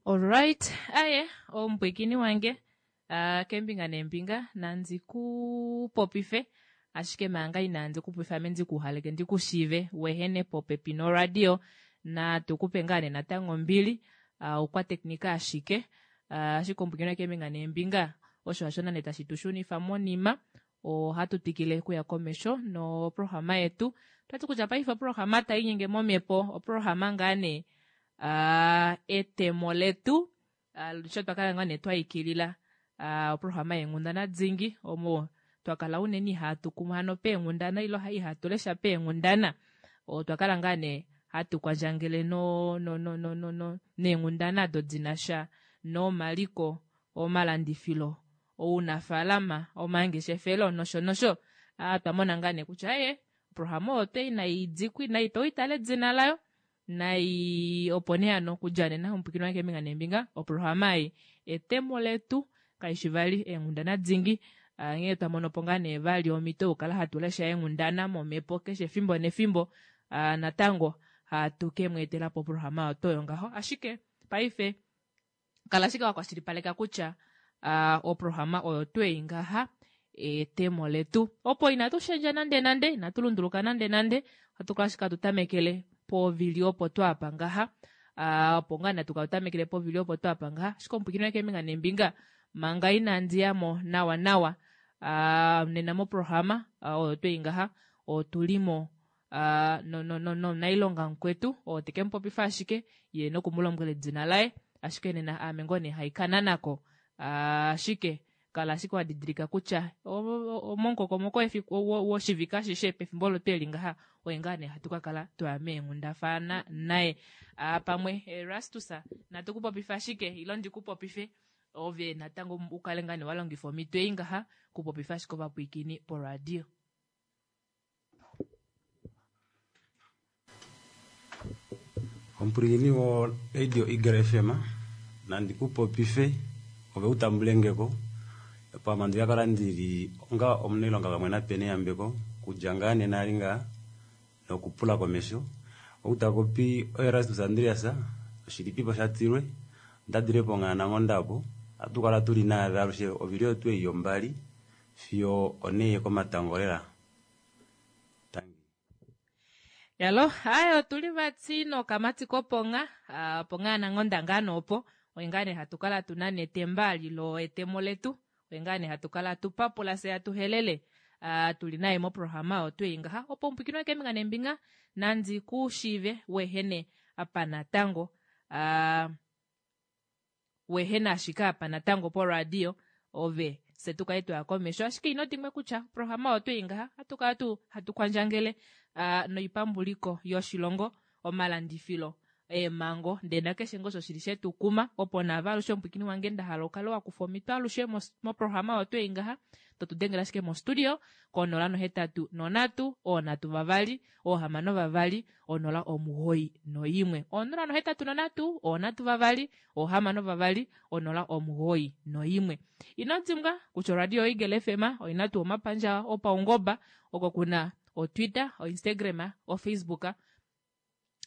Alright, aye omupwikini wange uh, kembinga nembinga nandi ku popife ashike manga inandi ku popifa ame ndi ku haleke ndi ku shiive wehene popepi noradio natu kupe ngaa nee natango ombili uh, okwateknika ashike uh, ashike omupwikini wange kembinga nembinga osho hasho nande tashi tu shunifa monima ohatu twikile kuya komesho noprograma yetu twati kutya paife oprograma tai nyenge momhepo oprograma ngaa nee uh, etemo letu uh, sho twa kala ngaa nee twa ikilila uh, oprograma yeenghundana dingi omo twa kala unene ihatu kumu hano peenghundana ilo ihatu lesha peenghundana otwa kala ngaa nee hatu kwandjangele no, no, no, no, no, no, neenghundana ado dinasha nomaliko omalandifilo ounafaalama omangeshefelo nosho nosho ah, twa mona ngaa nee kutya ee oprograma oyo twe inai dikwa inai pewa itale edina layo nai opo nee hano okudja nena omupwikini wange keembinga neembinga oprograma ei etemo letu kaishi vali eenghundana dingi ah, nghee twa mono po ngaa nee vali omhito yokukala hatu lesha eenghundana momhepo keshe efimbo nefimbo ah, natango hatu ke mu etela po oprograma oyo toyo ngaho ashike paife kala ashike wa kwashilipaleka kutya uh, oprograma oyo twei ngaha etemo letu opo inatu shendja nande nande inatu lunduluka nande nande ohatu kala ashike hatu tamekele povili opo twapa ngaha uh, opo ngaa natu kala tamekele povili opo twapa ngaha ashike omupwikini wange keembinga neembinga manga inandi yamo nawa nawa uh, nena moprograma uh, oyo twei ngaha otulimo uh, no, no, no, nomunailonga mukwetu oo teke mu popifa ashike ye noku mu lombwela edina laye ashike nena aame ngoo nee haikana nako ashike kala ashike wa didilika kutya momukokomoko woshivike ashishe pefimbo olo tweli ngaha oye ngaa nee hatu ka kala twaya meenghundafana naye pamwe Erastus natu ku popife ashike ilo ndi ku popife ove natango u kale ngaa nee wa longifa omhito ei ngaha kupopifa ashike ovapwiikini poradio. Omupwilikini wo-Radio Eagle FM, nandi ku popife ove u tambule nge ko. Pamwe andi ka kala ndi li onga omunailonga pamwe naPenny Yambeko kudja ngaa nena ali ngaa nokupula komesho. Ou ta popi oErastus Andreas, oshilipipo shatilwe, onda dile pOnghaananghonda opo. Ohatu kala tuli naave alushe ovili oyo tuu ei yombali fiyo onhee yokomatango lela. Tangi. Yalo, aye otuli vati nokamati kopongha, ah, pongha nanghonda ngaa noopo. Oye ngaa nee hatu kala tu na netemba lilo etemo letu. Oye ngaa nee hatu kala tu papula se hatu helele. Ah, tuli naye moprograma oyo twei ngaha. Opo omupwikini keembinga neembinga, nandi ku shiive wehene apa natango. Ah, wehena ashike apa natango poradio ove se tu kale twaya komesho ashike ino dimwe kutya oprograma oyo twei ngaha hatu kala tu hatu kwandjangele uh, noipambuliko yoshilongo omalandifilo eemhango ndee nakeshe ngoo osho shili shetu kuma opo naave alushe omupwikini wange nda hala ukale wa kufa omhito alushe moprograma oyo twei ngaha to tu dengele ashike mostudio konola nohetatu nonhatu oonhatu vavali oohamano vavali onola omugoyi noyimwe onola nohetatu nonhatu oonhatu vavali oohamano vavali onola omugoyi noyimwe ino dimbwa kutya oradio Eagle FM oina tuu omapandja opaungoba oko kuna otwitter oinstagram ofacebook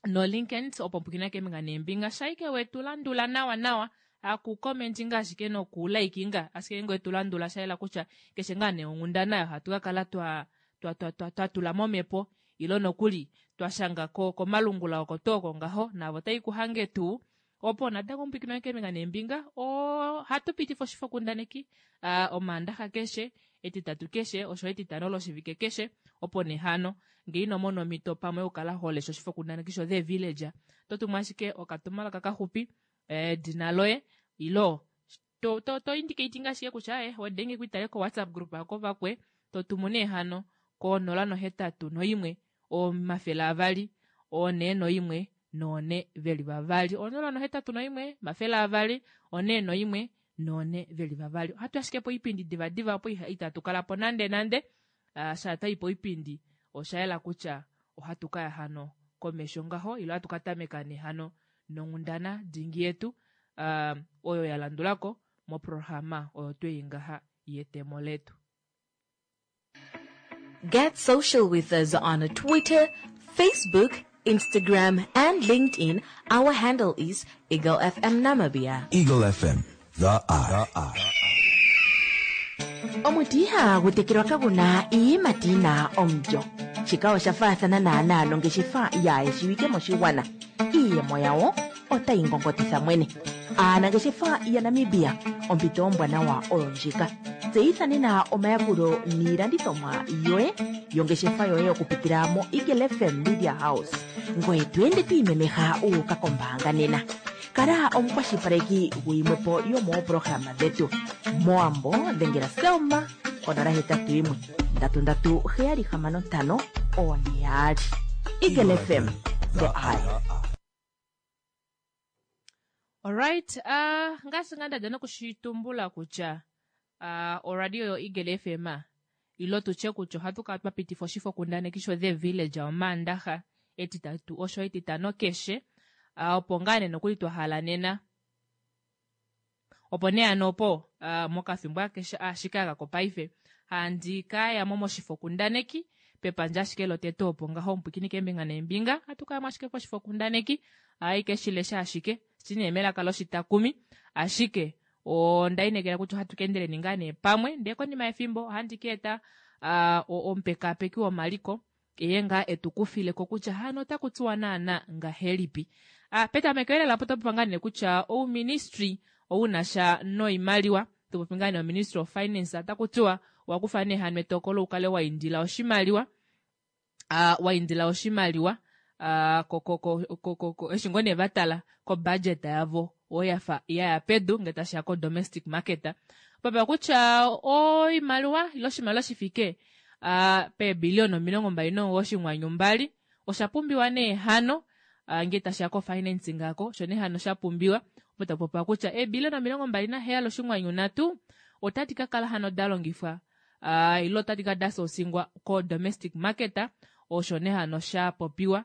noLinkedIn opo pukina keembinga neembinga shaike wetu landula nawa nawa aku commentinga ashike noku likinga ashike ngee wetu landula shayela kutya keshe ngaa nee onghundana oyo hatu ka kala twa twa twa twa twa tula momhepo ilo nokuli twa shanga ko komalungula oko tuu oko ngaho naavo tai ku hange tuu opo natango omupwikino wange keembinga neembinga ohatu pitifa oshifokundaneki uh, omaandaxa keshe etitatu keshe osho etitano loshivike keshe opo nee hano ngee ino mona omhito pamwe yokukala ho lesha oshifokundaneki sho The Village oto tumu ashike okatumwalaka kaxupi edina loye ilo to to to indicating ashike kutya eh wedenge kuitale ko WhatsApp group ako vakwe to tumu nee hano ko 081 200 41 none veli vavali 081 200 41 none veli vavali ohatu ashike poipindi divadiva opo itatu kala po nande nande uh, sha twa i poipindi osha yela kutya ohatu ka ya hano komesho ngaho ilo ohatu ka tameka nee hano nonghundana dingi yetu uh, oyo ya landulako moprograma oyo twei ngaha yetemo letu. Get social with us on Twitter, Facebook, Instagram, and LinkedIn, our handle is Eagle FM Namibia. Eagle FM, the eye. Omuti ihagu tekelwa kagu na iiyimati yi na omulyo. Shika osha faathana naanaa nongeshefa yaa shiwike moshigwana. Iiyemo yawo otayi ngongotitha mwene. Aanangeshefa yaNamibia, ompito ombwanawa oyo ndjika. Tseyitha nena omayakulo niilandithomwa yoye yongeshefa yoye okupitila moEagle FM Media House. Ngoye to ende to imemeha wu uka kombaanga nena. Kala omukwashilipaleki guyimwe po yomooprograma dhetu. Mowambo dhengela Selma konola 81 3 3 7 6 4 2. Eagle FM, the eye. Alright, ngaashi ngaa ndadja nokushitumbula kutya oradio yo Eagle FM ilo tutye kutya ohatu kala twa pitifa oshifokundaneki sho The Village Omaandaxa Etitatu osho Etitano keshe opo ngaa nee nokuli twa hala nena Opo nee hano opo, mokafimbo ashike aka kopaife, handi ka ya mo moshifokundaneki, pepandja ashike lotete opo ngaho omupwikini keembinga neembinga, hatu ka ya mo ashike koshifokundaneki, ohai ke shi lesha ashike, shi nee melaka loshitakumi, ashike onda inekela kutya ohatu ka endeleni ngaa nee pamwe, ndee konima yefimbo ohandi ka eta omupekaapeki womaliko, eye ngaa e tu kufile ko kutya hano otaku tiwa naana ngahelipi. A Petameko elela opo twa popa ngaa nee kutya ouministry ou na sha noimaliwa, to popi ngaa nee oMinistry of Finance, otaku tiwa owa kufa nee hano etokolo u kale wa indila oshimaliwa, a, wa indila oshimaliwa a, ko, ko, ko, ko, ko, ko, eshi ngoo nee va tala ko budget yavo oyo ya fa ya ya pedu ngee tashi ya ko domestic market. Popiwa kutya oimaliwa ile oshimaliwa shi fike a peebiliona 29.2 osha pumbiwa nee hano ngee tashi ya ko-financing ako, osho nee hano sha pumbiwa. Opo taku popiwa kutya eebiliona 27.3 otadi ka kala hano da longifwa ile otadi ka da soosingwa ko-domestic market, osho nee hano sha popiwa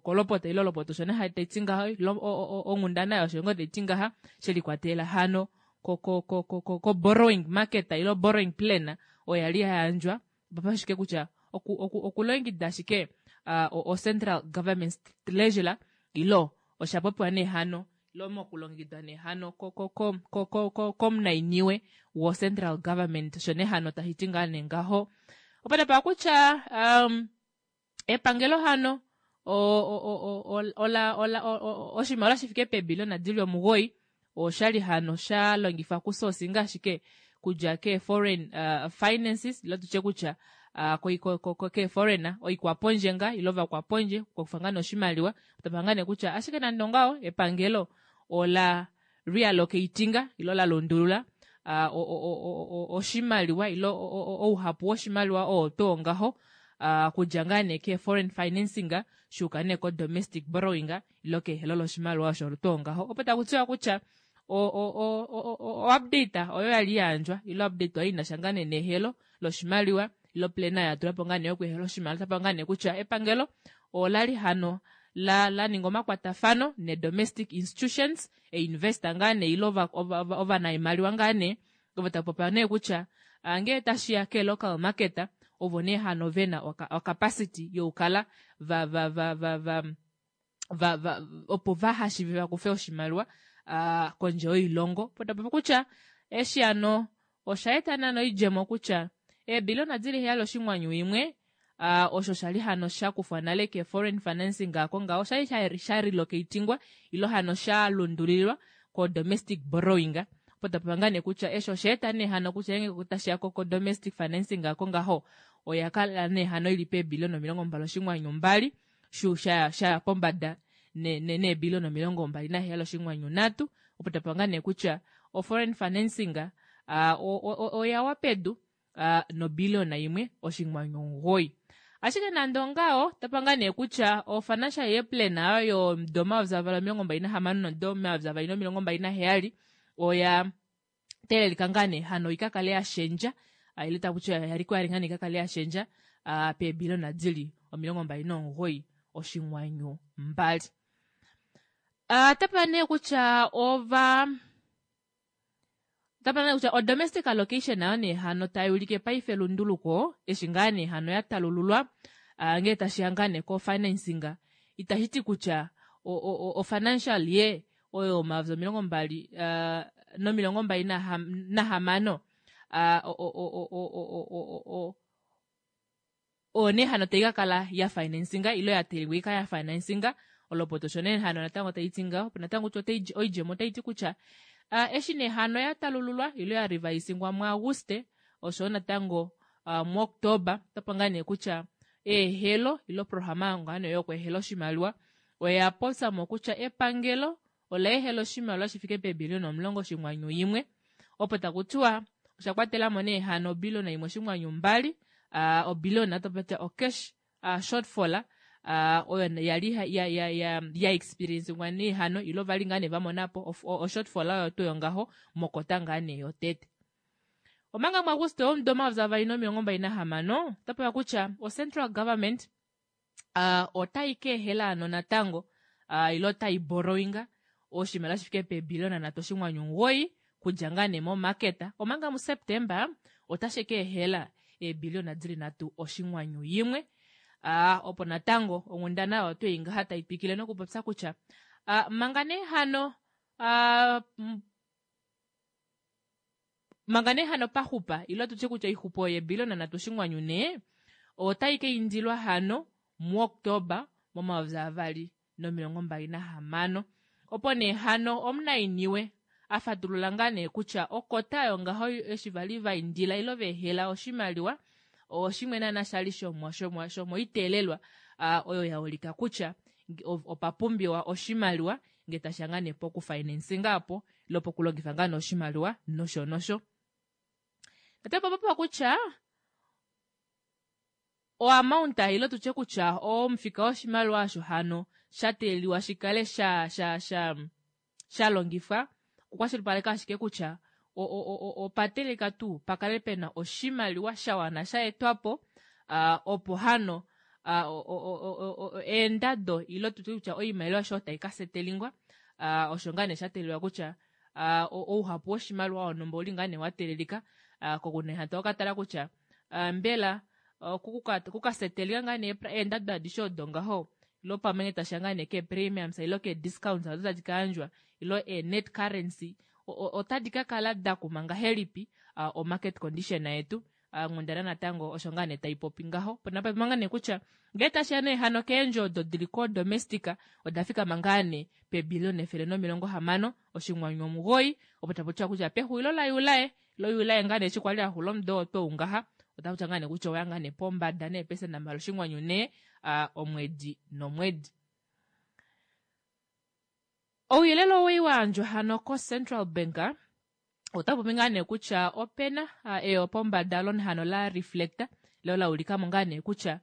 kolopota ile olopota osho nee tai ti ngaho, ile onghundana osho ngoo tai ti ngaha, she likwatelela hano ko-borrowing market ile borrowing plan oyo ya li ya yandjwa opo ashike kutya okulongekida ashike o-central government treasurer ilo osha popiwa nee hano ilo mokulongekidwa nee hano komunainiwe wo-central government osho nee hano tashi ti ngaa nee ngaho. Opo tapa kutya um, epangelo hano ola ola oshimaliwa shi fike peebiliona di li omugoyi oshali hano sha longifwa kusosinga ashike kudja ke foreign finances ilo tutye kutya ke foreign oikwapondje nga ilo vakwapondje okufa ngaa noshimaliwa tapa ngaa nee kutya ashike nande ongaho epangelo ola reallocatinga ilo la lundulula oshimaliwa ilo ouhapu woshimaliwa oo too ngaho kudja ngaa nee ke foreign financing shuuka nee ko domestic borrowing ilo kehelo loshimaliwa osho too ngaho opo taku tiwa kutya o update oyo ya li ya yandjwa ilo update oyo ina sha ngaa nee nehelo loshimaliwa ilo plana ya tula po ngaa nee yokuhela oshimaliwa tapa ngaa nee kutya epangelo ola li hano la la ninga omakwatafano ne domestic institutions e investor ngaa nee ilo ovanaimaliwa ngaa nee ovo ta popa nee kutya ngee tashi ya ke local market ovo nee hano vena ocapacity yokukala va va va va va va va opo va hashive va kufe oshimaliwa kondje yoilongo. Po ta popi kutya eshi hano osha eta naana oidjemo kutya eebiliona dili heyali oshinghwanyu imwe osho sha li hano sha kufwa nale ke foreign financing ako ngaho osha li sha relocatingwa ilo hano sha lundulilwa ko domestic borrowing. Opo ta popi ngaa nee kutya eshi osha eta nee hano kutya ngeenge tashi ya ko domestic financing ako ngaho oya kala nee hano ili peebiliona 22.2 shu sha sha pombada neebiliona 27.3. Opo ta popi ngaa nee kutya o foreign financing oya wa pedu nobiliona 1.9. Ashike nande ongaho, tapa ngaa nee kutya o financial year plan ayo yomudo 2026 nomudo 2027 oya teelelika ngaa nee hano ika kale ya shendja, ile taku tiwa yali ko yali ngaa nee ika kale ya shendja peebiliona dili 29.2. Tapa nee kutya ova Tapa nee kutya o domestic allocation nayo nee hano tai ulike paife elunduluko eshi ngaa nee hano ya talululwa. Ngee tashiya ngaa nee ko financing itashi ti kutya o financial year oyo 2026 oyo nee hano tai kakala ya financinga ile ya teelelwa ikale ya financinga olopota osho nee hano natango taiti ngaho opo natango kutya oidjemo otaiti kutya eshi nee hano ya talululwa ile ya revisingwa muAguste oshoyo natango muOktoba otapa ngaa nee kutya eehelo ile oprograma ngaa nee yokweehela oshimaliwa oya popyamo kutya epangelo ola ehela oshimaliwa shi fike peebiliona 10.1 opo taku tiwa osha kwatelamo nee hano obiliona 1.2 obiliona topatya ocash shortfall oyo yali ya ya ya ya experiencingwa nee hano ile vali ngaa nee vamonapo oshortfall oyo tuu yongaho mokota ngaa nee yotete. Omanga muAguste womudo 2026 otapewa kutya o-central government otai ka ehela hano natango ile otai borrowinga oshimaliwa shi fike peebiliona 3.9 kudja ngaa nee momarket, omanga muSeptemba otashi ka ehela eebiliona dili 3.1. Opo natango onghundana oyo twei ngaha tai twikile nokupopya kutya manga nee hano manga nee hano paxupa ile tutye kutya oixupo oyo yeebiliona 3.4 otai ka indilwa hano muOktoba mo2026. Opo nee hano omunainiwe afatulula ngaa nee kutya okota oyo ngaho eshi vali vaindila ile veehela oshimaliwa oshimwe naana shali shomoiteelelwa oyo yaulika kutya opa pumbiwa oshimaliwa ngee tashiya ngaa nee pokufinancinga apo ile pokulongifa ngaa nee oshimaliwa nosho nosho. Natango opa kutya oamount ile tutye kutya omufika woshimaliwa osho hano sha teeleliwa shikale sha sha sha sha longifwa okukwashilipaleka ashike kutya opateleka tuu pakale pena oshimaliwa sha wana sha etwapo opo hano eendado ile tutye kutya oimaliwa osho tai ka setelingwa osho ngaa nee sha teelelwa kutya ouhapu woshimaliwa wonhumba ouli ngaa nee wa teelelika kokunena toka tala kutya mbela kukasetelika ngaa nee eendado adishe odo ngaho ilo pamwe tasha ngaa nee ke premiums ilo ke discounts odo tadi kayandjwa ilo e net currency otadi kakala dakuma ngahelipi o market condition yetu. Nghundana natango osho ngaa nee taipopi ngaho pona nee kutya ngee tashiya nee hano keendjo odo dili ko domestic oda fikama ngaa nee peebiliona 169 opo taputiwa kutya pexulilo laJuli loJuli ngaa nee eshi kwali axula omudo oo twou ngaha otaputya ngaa nee kutya oya ngaa nee pombada neepesenda 2.4 omwedi nomwedi. Ouyelele owei wayandjwa hano ko Central Bank otapopi ngaa nee kutya opena eyo pombada hano la reflector leo la ulikamo ngaa nee kutya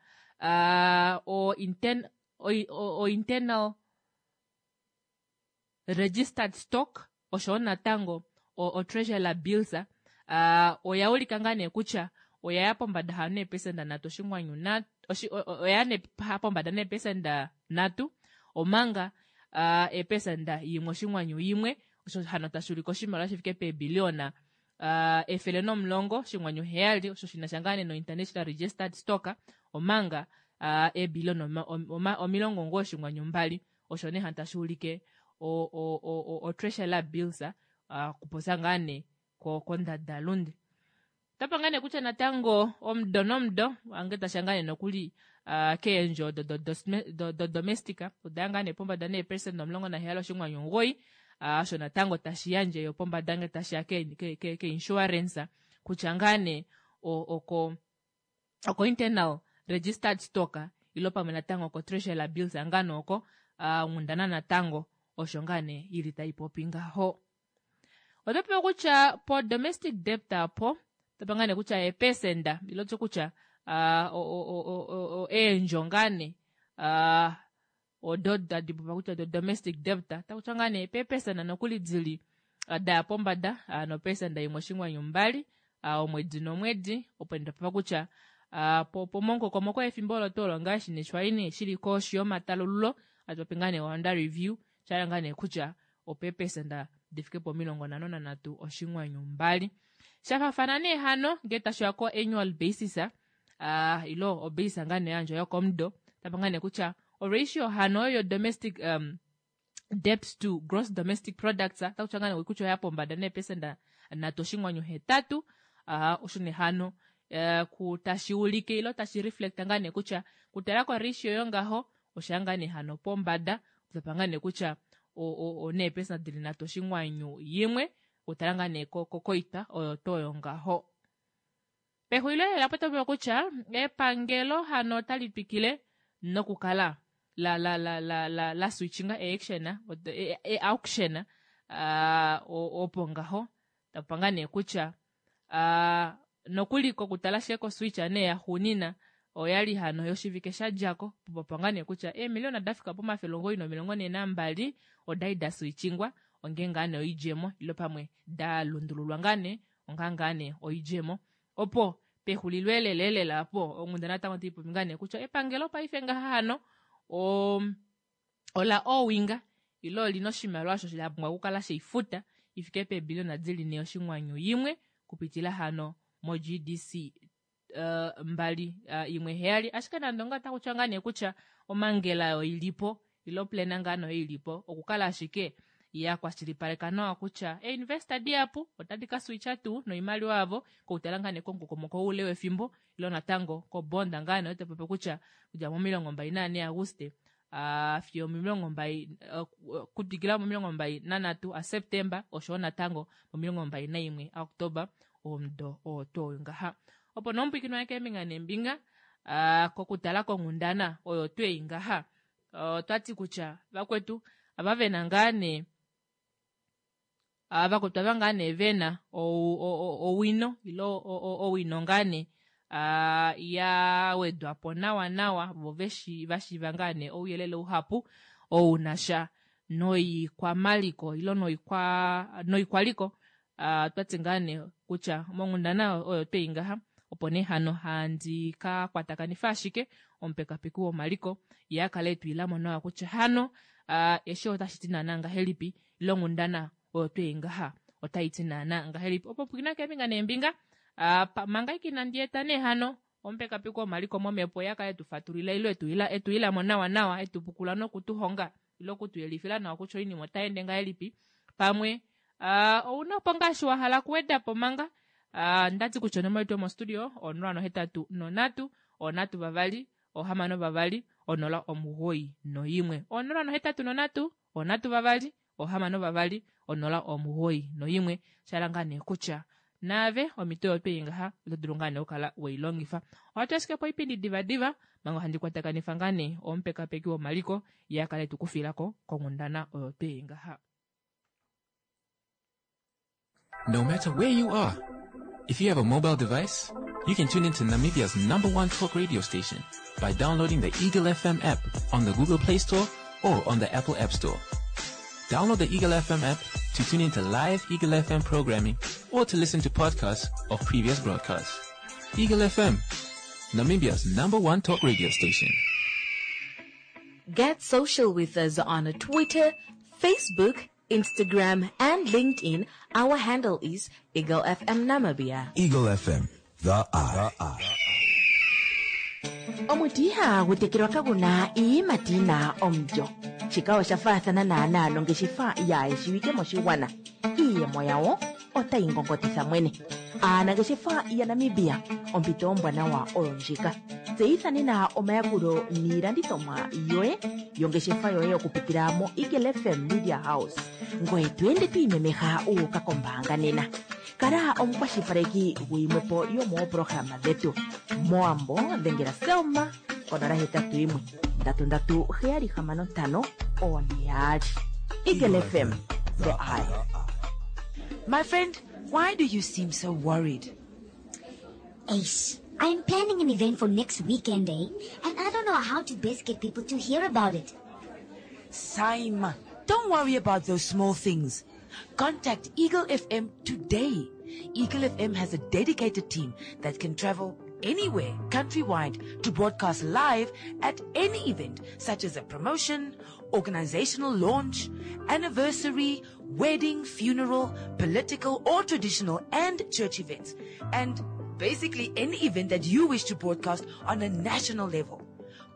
o internal registered stock oshowo natango o treasury bills oya ulika ngaa nee kutya oyaya pombada hano neepesenda 3.3 oya nee pombada neepesenda 3 omanga eepesenda 1.1 osho hano tashi ulike oshimaliwa shifike peebiliona 110.7 osho shinasha ngaa nee no international registered stock omanga eebiliona 90.2 osho nee hano tashi ulike o treasury bills kupopya ngaa nee kondadalunde. Otapa ngaa nee kutya natango omudo nomudo ange tasha ngaa nee nokuli keendjo odo do domestic odaya ngaa nee pombada neepesenda 17.9 osho natango tashi yandje yo pombada nge tashiya ke insurance kutya ngaa nee oko internal registered stock ilo pamwe natango ko treasury bills ngano oko nghundana natango osho ngaa nee ili taipopi ngaho. Otopewa kutya po domestic debt apo topa ngaa nee kutya eepesenda ilo tye kutya eendjo ngaa nee odo tadi popiwa kutya do domestic debt takutya ngaa nee peepesenda nokuli dili daya pombada nopesenda 1.2 omwedi nomwedi opo ndapewa kutya pomonkokomoko yefimbo olo tuu olo ngaashi neshwali nee shili koshi yomatalululo atopi ngaa nee under review shala ngaa nee kutya opeepesenda difike po 53.2 shafafana nee hano ngee tashiya ko annual basis. Ilo obase ngaa nee yandjwa yokomudo tapa ngaa nee kutya o ratio hano oyo domestic debt to gross domestic products otakutya ngaa nee kutya oya pombada neepesenda 3.8. Osho nee hano tashi ulike ilo tashi reflect ngaa nee kutya kutala ko ratio yongaho osha ngaa nee hano pombada tapa ngaa nee kutya oneepesenda dili 3.1 kutala ngaa nee koitwa oyo to yongaho. Pexulilo lela potopiwa kutya epangelo hano otali twikile nokukala la la la la la la switchinga e-action e-auction opo ngaho tapa ngaa nee kutya nokuli kokutala shee koswitch nee yaxuunina oyali hano yoshivike shadjako popa ngaa nee kutya eemiliona dafika po942 odali da switchingwa onge ngaa nee oidjemo ilo pamwe da lundululwa ngaa nee onga ngaa nee oidjemo opo pexulilo elelelela po onghundana natango taipopi ngaa nee kutya epangelo paife ngaha hano ola owinga ilo olina oshimaliwa osho sha pumbwa okukala sheifuta ifike peebiliona dili 4.1 kupitila hano mo GDC 217. Ashike nande onga otakutya ngaa nee kutya omangela oyo ilipo ilo plana ngaa nee ilipo okukala ashike ya kwashilipaleka nawa kutya einvesta dihapu otadi ka switcha tuu noimaliwa yavo koutala ngaa nee komukokomoko oule wefimbo ilo natango kobonda ngaa nee otapopi kutya kudja mo24 Aguste fiyo 20 kutwikila mo23 aSeptemba oshowo natango mo21 aOktoba omudo oo twoo ngaha. Opo nomupwikinwa keembinga neembinga kokutala konghundana oyo twei ngaha otwati kutya vakwetu ava vena ngaa nee vakwetu ava ngaa nee vena owino ilo owino ngaa nee ya wedwapo nawa nawa vo vashiiva ngaa nee ouyelele uhapu ounasha noikwamaliko ilo noikwaliko. Twati ngaa nee kutya monghundana oyo twei ngaha opo nee hano handi ka kwatakanifa ashike omupekapeki womaliko ye akale etwiilamo nawa kutya hano eshi otashi ti naana ngahelipi ilo onghundana oyo twei ngaha otai ti naana ngahelipi. Opo pwikina keembinga neembinga manga ike inandi eta nee hano omupekapeki womaliko momhepo ye akale etufatulila ilo etwiilamo nawa nawa etupukula nokutuhonga ilo okutuyelifila nawa kutya oinima otai ende ngahelipi. Pamwe ouna opo ngaashi wahala okuwedapo manga ndati kutya onomola yetu yomostudio 083 3 2 6 091 083 3 2 6 091. Shala ngaa nee kutya naave omito yotwei ngaha oto dulu ngaa nee okukala weilongifa. Ohatu ashike po oipindi divadiva manga handi kwatakanifa ngaa nee omupekapeki womaliko ye akale etukufilako konghundana oyo twei ngaha. No matter where you are, if you have a mobile device, you can tune into Namibia's #1 talk radio station by downloading the Eagle FM app on the Google Play Store or on the Apple App Store. Download the Eagle FM app to tune into live Eagle FM programming or to listen to podcasts of previous broadcasts. Eagle FM, Namibia's #1 talk radio station. Get social with us on Twitter, Facebook, Instagram, and LinkedIn. Our handle is Eagle FM Namibia. Eagle FM, the eye. Omuti ihagu tekelwa kaguna iiyimati yina omulyo. Shika osha faathana naanaa nongeshefa yaayeshiwike moshigwana. Iiyemo yawo otayi ngongotitha mwene. Aanangeshefa yaNamibia, ompito ombwanawa oyo ndjika. Tseyitha nena omayakulo niilandithomwa yoye yongeshefa yoye okupitila mo Eagle FM Media House. Ngoye to ende to imemeha uuka kombaanga nena. Kala omukwashilipaleki guyimwepo yomooprograma dhetu. Moambo dhengela Selma ko081 337 652. Eagle FM, the eye. My friend, why do you seem so worried? Ace, I'm planning an event for next weekend, eh? And I don't know how to best get people to hear about it. Saima, don't worry about those small things. Contact Eagle FM today. Eagle FM has a dedicated team that can travel anywhere countrywide to broadcast live at any event, such as a promotion, organizational launch, anniversary, wedding, funeral, political or traditional and church events. And Basically, any event that you wish to broadcast on a national level.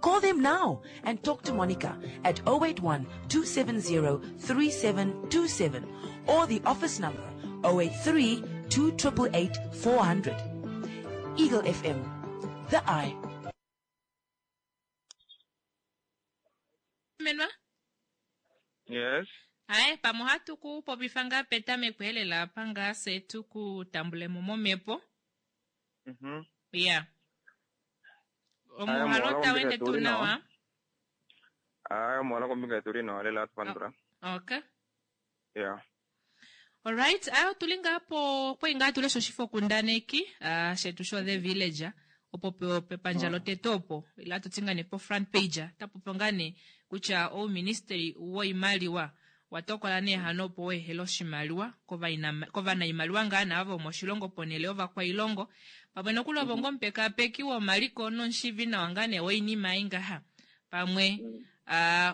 Call them now and talk to Monica at 081 270 3727 or the office number 083 288 400. Eagle FM, the eye. Menwa? Yes. Aye, pamwe ohatu ku popifa ngaa petameko elela apa ngaa se tu ku tambulemo momhepo. Ya. Aye, Omuhalo omuhalo tau kombinga ende yetu tuu uli nawa. nawa. Aye, omuhalo kombinga yetu uli nawa lela atupandula. Okay. Yeah. Alright, ayo otuli ngaa po kwai ngaa tulesha oshifokundaneki ah, shetu sho The Village opo pepandja lotete opo ila tuti ngaa nee po front page tapopi ngaa nee kutya ouministeli woimaliwa watokola nee hano opo weehele oshimaliwa kovanaimaliwa ngaa naavo vomoshilongo ponhele yovakwailongo pamwe nokuli ovo ngoo omupekapeki womaliko nomushivi nawa ngaa nee woinima ei ngaha pamwe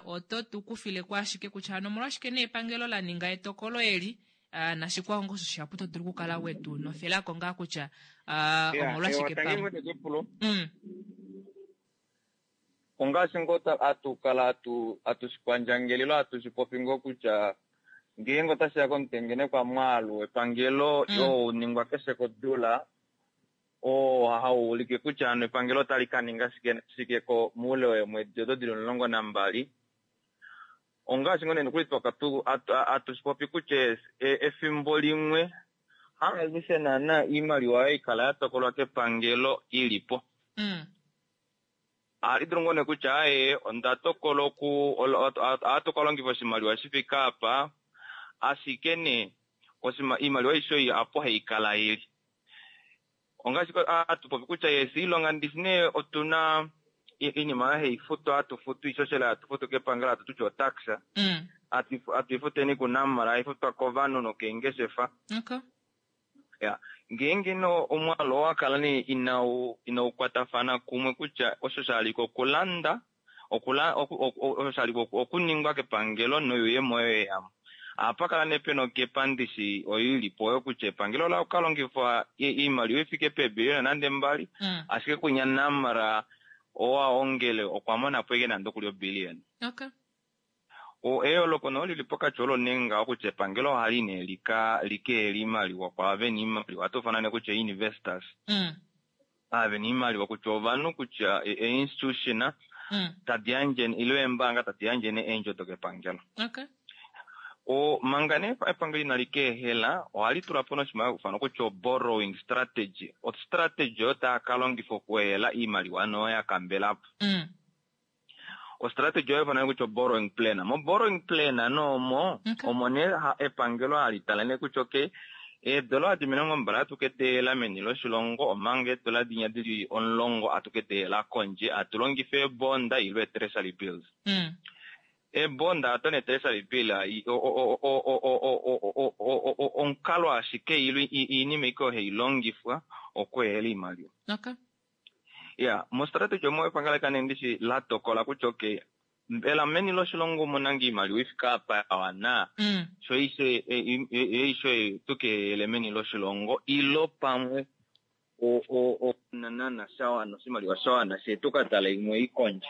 oto tu kufileko ashike kutya hano omolwashike nee epangelo la ninga etokolo eli nashikwao ngoo osho shihapu to dulu okukala wetu nofelako ngaa kutya Yeah, omolwashike ewa, tangi pamwe ngoo nekepulo. Ongaashi ngoo atukala atushipandjangelelo atushi popi ngoo kutya ngeenge otashiya komutengenekwa mwaalu wepangelo oo uningwa keshe kodula oo hau ulike kutya hano epangelo otali kaninga shike shike ko muule weemwedi odo dili 12. Ongaashi ngoo nee nokuli atushipopi kutya efimbo limwe haalushe naana oimaliwa oyo ikala yatokolwa kepangelo ilipo. Ohali dulu ngoo nee kutya aaye onda tokola oku ohatu kalongifa oshimaliwa shifike apa ashike nee oimaliwa aishe oyo apo haikala ili. Ongaashi atupopi kutya yes iilonga ndishi nee otuna iinima oyo haifutwa hatufutu oishoshela hatufutu kepangelo hatu tutya otax atuifuteni kuNamra haifutwa kovanhu nokeengeshefa. Okay. Ya, ngeenge no omwaalu owakala nee inaukwatafana kumwe kutya osho shaliko okulanda osho shaliko okuningwa kepangelo noyuuyemo oyo yeyamo. Ohapakala nee pena okepandishi oyo ilipo oyo kutya epangelo ola kalongifa oimaliwa ifike peebiliyona nande 2 ashike kunya Namra owaongele okwa monapo ashike nande okuli obiliyona. Okay. Eyooloko no lili pokati olo nee ngaho kutya epangelo ohali nee likeela oimaliwa kwaava vena oimaliwa ohatu ufana nee kutya investors. Ava vena oimaliwa kutya ovanhu kutya e-institution tadi yandje ile eembaanga tadi yandje nee eendjo dokepangelo. Okay. Manga nee epangelo inali keehela ohali tula po noshimaliwa kufana kutya o-borrowing strategy. O-strategy oyo taa kalongifa okuehela oimaliwa noyo ya kambelapo. O-strategy oyo ifana kutya o-borrowing plan. Mo-borrowing plan noomo omo nee epangelo hali tala nee kutya okay eedola adi 20 atu keteela meni loshilongo omanga eedola dinya dili 10 atu keteela kondje atu longifa eebonda ile treasury bills. Eebonda ato ne treasury bill omukalo ashike ile iinima ike oyo hailongifwa okuehela oimaliwa. Okay. Ya, mo-strategy omo epangelo kane ndishi la tokola kutya okay mbela meni loshilongo omuna ngoo oimaliwa ifike apa ya wana sho ishe tukehele meni loshilongo ilo pamwe onanana shawana oshimaliwa shawana she tukatala imwe ikondje.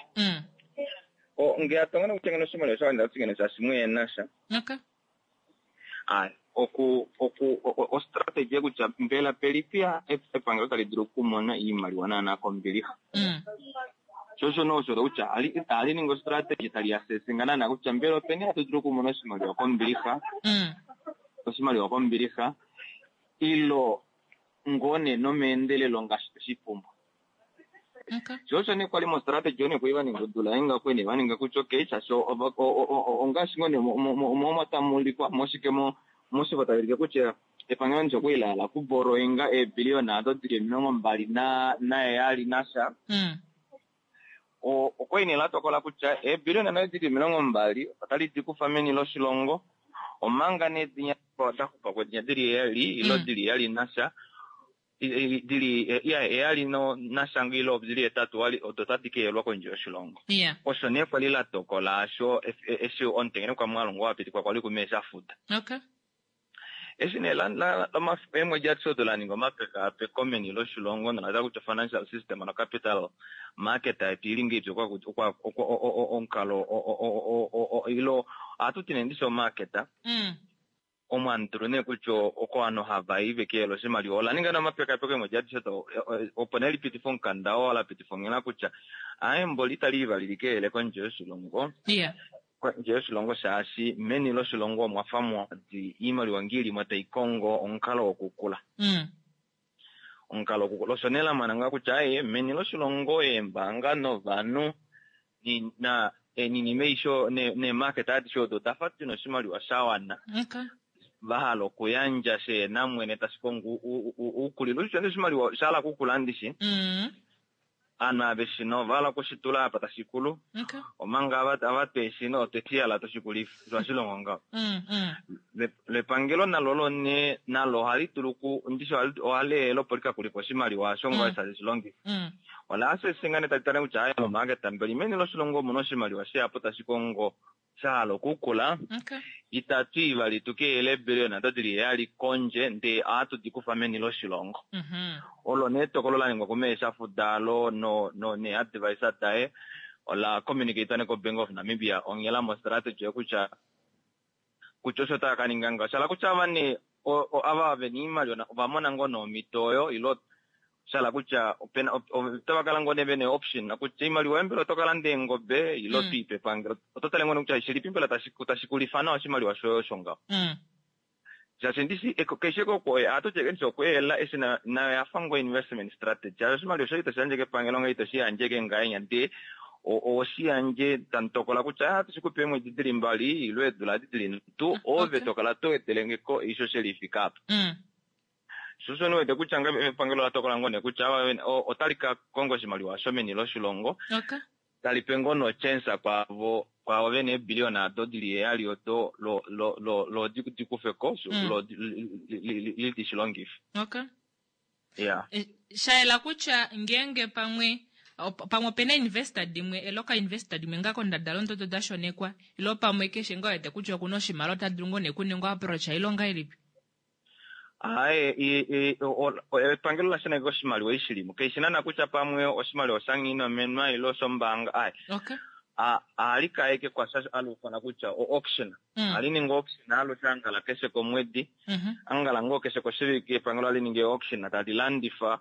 Nge atongana kutya ngeno oshimaliwa shawana ndatingene shaashi mweena sha. Okay. Aye, oku o-strategy kutya mbela pelipi epangelo tali dulu okumona oimaliwa naana kombilixa. Sho no osho kutya ali ninga o-strategy tali asesinga naana kutya mbela openi hatu dulu okumona oshimaliwa kombilixa. Oshimaliwa kombilixa ilo ngoo nee nomeendelelo ngaashi toshipumbwa. Okay. Sho nee kwali mo-strategy one kwali vaninga odula yenga kwene vaninga kutya okay shaashi ongaashi ngoo nee omo tamuulikwa moshike moshifo taulike kutya epangelo ndisho kwali lahala okuborrowinga eebiliyona ado dili 27 nasha. Okwali nee latokola kutya eebiliyona nado dili 20 otali di kufa meni loshilongo omanga nee dinya oda xupa ko dinya dili 7 ilo dili 7 nasha dili 7 no nasha ilo dili 8 odo tadi keelwa kondje yoshilongo. Yeah. Osho nee kwali latokola asho eshi omutengenekwa mwaalu ngo wapitikwa kwali kumesha futa. Okay. Eshi nee eemwedi adishe odo la ninga omapekaapeko meni loshilongo nola tala kutya financial system no capital market yetu ili ngeipi omukalo ilo ohatu ti nee ndishi omarket omo hatu nee kutya oko ovanhu hava i vekeyela oshimaliwa. Ola ninga nee omapekaapeko eemwedi adishe odo opo nee lipitife omukanda oo la pitifa onghela kutya aaye mboli itali i vali likeyele kondje yoshilongo. Kondje yoshilongo shaashi meni loshilongo omwa fa mwadi oimaliwa ngee ili mo tai kongo omukalo wokukula. Omukalo wokukula. Osho nee la mona ngaho kutya aaye meni loshilongo eembaanga novanhu ninima aishe neemarket adishe odo oda fa dina oshimaliwa sha wana. Va hala okuyandja sheena mwene tashi kongo oukulilo. Osho oshimaliwa sha hala okukula ndishi. Aanhu aveshe ova hala okushitula apa tashi kulu. Omanga ava tweshi otwe shi hala toshikulifa. Osho hashi longo ngaho. Lepangelo nalo lone nalo ohali dulu ndishi ohali ehela opo likakulife oshimaliwa osho ngoo tali shi longifa. Ola asese ngaa nee tali tale kutya aaye momarket mbeli meni loshilongo omuna oshimaliwa shihapu tashi kongo sha hala okukula. Itatu i vali tu ke eebillion odo dili heyali kondje ndee ohatu di kufa meni loshilongo. Olo nee etokolo la ningwa kumee Shafudalo neeadvisor daye ola communicatwa nee koBank of Namibia onghela mo strategy kutya kutya osho tava ka ninga ngaho. Sha hala kutya ava nee ava vena oimaliwa ova mona ngoo nee omhito oyo ilo sha hala kutya otava kala ngoo nee vena option kutya oimaliwa yoye mbela oto ka landa eengobe ilo to i pepangelo. Oto tale ngoo nee kutya shilipi mbela tashi kulifa nawa oshimaliwa shoye osho ngaho. Shaashi ndishi keshe ohatu ti ndishi okweela eshi nayo yafa ngoo investment strategy. Shaashi oshimaliwa shoye itoshi yandje kepangelo ngee itoshi yandje ke ngahenya ndee ohoshi yandje tamu tokola kutya ohatu shi kupe eemwedi dili mbali ilo eedula edi dili nhatu ove tokala to wedelengeko oishoshela ifike apa. Sho osho ndiwete kutya ngame epangelo ola tokola ngoo nee kutya otali ka konga oshimaliwa sho meni loshilongo tali pe ngoo no chance kwaavo kwaavo vena eebillion ado dili heyali odo lo lo lo lo di kufeko lo li shi longife. Yeah. Sha yela kutya ngeenge pamwe pamwe opena investor dimwe eloka investor dimwe ngaa kondadalunde odo da shonekwa ilo pamwe keshe ngaa wete kutya okuna oshimaliwa ota dulu ngoo nee kuningwa approach ilo ongahelipi? Aaye, epangelo ola shaneka oshimaliwa eshi shilimo. Kaishi naana kutya pamwe oshimaliwa osha-nghinomenwa ile oshombaanga. Aaye. Ohali kaeke kwasha hali ufanwa kutya o-auction. Ohali ningi auction alushe angala keshe komwedi. Angala ngoo keshe koshivike epangelo ohali ningi auction tali landifa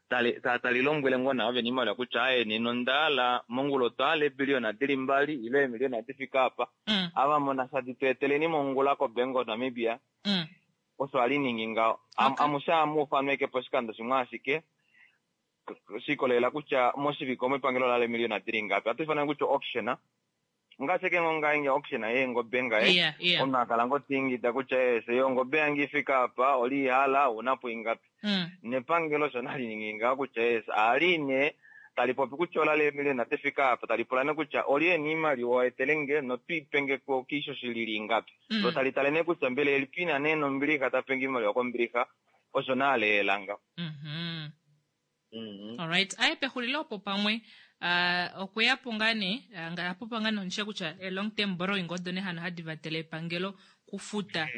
tali lombwele ngoo naavo vena oimaliwa kutya aaye nena onda hala mongula otwa hala eebiliyona dili mbali ile eemiliyona difike apa. Ava muna sha di tu eteleni mongula koBank of Namibia. Osho hali ningi ngaho. Amushe ohamu ufanwa ashike poshikando shimwe ashike she ikolelela kutya moshivike omo epangelo ola hala eemiliyona dili ngapi. Ohatu ifana kutya auction. Ngaashi ashike ngoo ngaenge auction yeengobe ngaye, omunhu ha kala ngoo ta ingida kutya eese ongobe yange ifike apa, oli hala, ouna po ingapi. Nepangelo osho nali ningi ngaho kutya eese ohali nee tali popi kutya ola hala eemiliyona difike apa, tali pula nee kutya olye ena oimaliwa etelenge notwiipenge ko kiishoshela ili ingapi. Lo tali tale nee kutya mbela elipi ina nee nombilixa ta penge oimaliwa kombilixa, osho nee aleela ngaho. Alright, aye pexulilo opo pamwe okweya po ngaa nee apopa ngaa nee kutya long term borrowing odo nee hano hadi vatele epangelo kufuta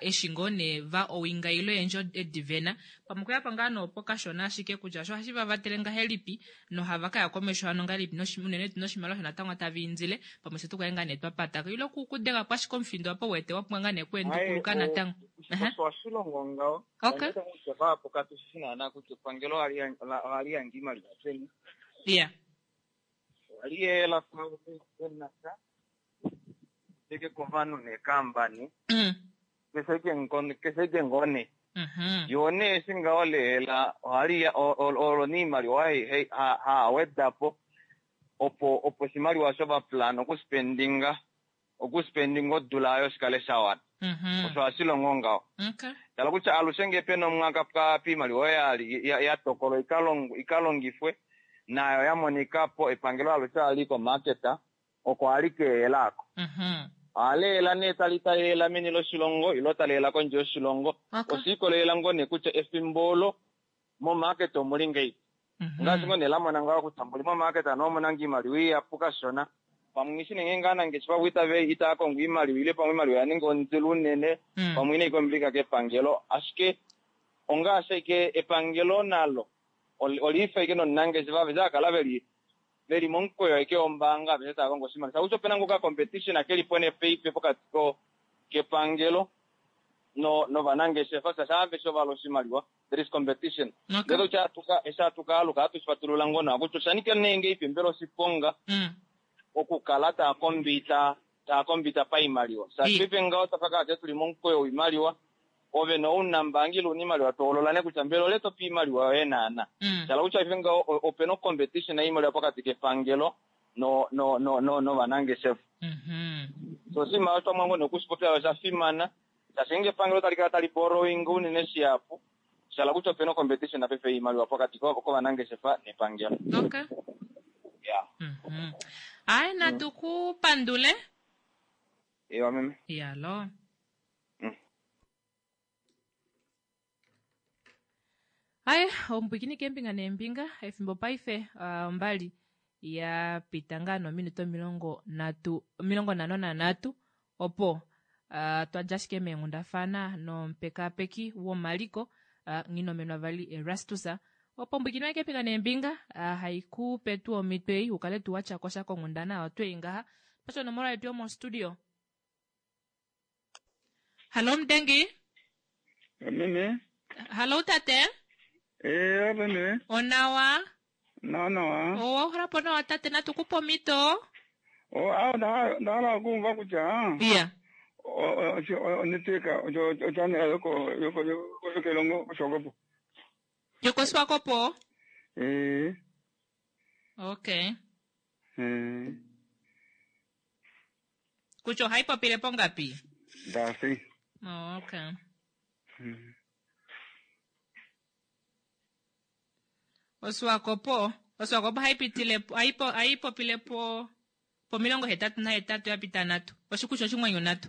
eshi ngoo nee va owinga ile eendjo edi vena. Pamwe okweya po ngaa nee opo kashona ashike kutya osho ohashi va vatele ngahelipi nohava kaya komesho hano ngahelipi unene tuu noshimaliwa osho natango tava indile pamwe fye tukale ngaa nee twa patako ile kudega po ashike omufindo apa wete wa pumbwa ngaa nee kuendukuluka natango. Osho hashi longo ngaho. Onda kutya vahapu katu shi shi naana kutya epangelo ohali yandje iimaliwa peni. Ohali yela venasha teke kovanhu neekambani. Keshe ike ngoo nee. Yoo nee eshi ngaho leela ohali olo nee iimaliwa haa weda po opo oshimaliwa osho va plan okuspendinga okuspendinga odula oyo shikale sha wana. Osho hashi longo ngaho. Tala kutya alushe ngee pena omwaka piimaliwa oyo ya tokolwa ikalongifwe nayo ya monika po epangelo alushe ohali komarket oko ohali keela ako. Ohali ela nee tali tali meni loshilongo ilo tali ela kondje yoshilongo. Osha ikolelela ngoo nee kutya efimbo olo momarket omuli ngeipi. Ngaashi ngoo nee la mona ngaho kutya mboli momarket ano omuna ngoo iimaliwa ihapu kashona. Pamwe ngishi nenge ngaa nangeshefa vo itave itaya kongo iimaliwa ile pamwe iimaliwa oya ninga ondilo unene pamwe inayi kombilika kepangelo ashike ongaashi ashike epangelo nalo oliifa ashike nomunangeshefa aveshe akala veli veli momukweyo ashike wombaanga aveshe taya kongo oshimaliwa shakutya opena ngoka competition kelipo nee paife pokati ko kepangelo no novanangeshefa shaashi aveshe ovahala oshimaliwa there is competition ndele kutya atuka eshi atukaaluka atu shifatulula ngoo nawa kutya oshanika nee ngeipi mbela oshiponga okukala taa kombita taa kombita paimaliwa shaashi paife ngaho twafa kaate tuli momukweyo woimaliwa ove nounambaanga ile una iimaliwa toholola nee kutya mbela ole tope iimaliwa yoye naana shala kutya paife ngaho opena ocompetition yoimaliwa pokati kepangelo no no no no novanangeshefa so oshinima osho twamwa ngoo nee okushipopya osha fimana shaashi ngeenge epangelo tali kala tali borrowing unene shihapu shala kutya opena ocompetition paife yoimaliwa pokati kovanangeshefa nepangelo. Okay. Yeah. Hayi natu ku pandule. Ewa meme. Yalo. Hayi omupwikini keembinga neembinga efimbo paife ombali ya pita ngaa nominute 53 opo twa dja ashike meenghundafana nomupekaapeki womaliko Nghinomenwa vali Erastus opo omupwikini waye keembinga neembinga hai ku pe tuu omhito ei u kale tuu wa tya ko sha konghundana oyo twei ngaha. Pasha onomola yetu yomostudio. Hallo Mudengi. Meme. Hallo tate. Eh, meme. Onawa. Nawa nawa. Owa uhala po nawa tate natu ku pe omhito. Oh, ah, nda hala okuuva kutya. Iya. Onetwork ochannel yoko yoko yoko kelongo koSwakopo. YokoSwakopo? Eh. Okay. Eh. Kutya ohai popile pongapi? Ndasi. Oh, okay. Oswakopo, Oswakopo ohai pitile ohai popile po pomilongo hetatu nahetatu ya pita nhatu. Oshikushu oshimwenyo nhatu.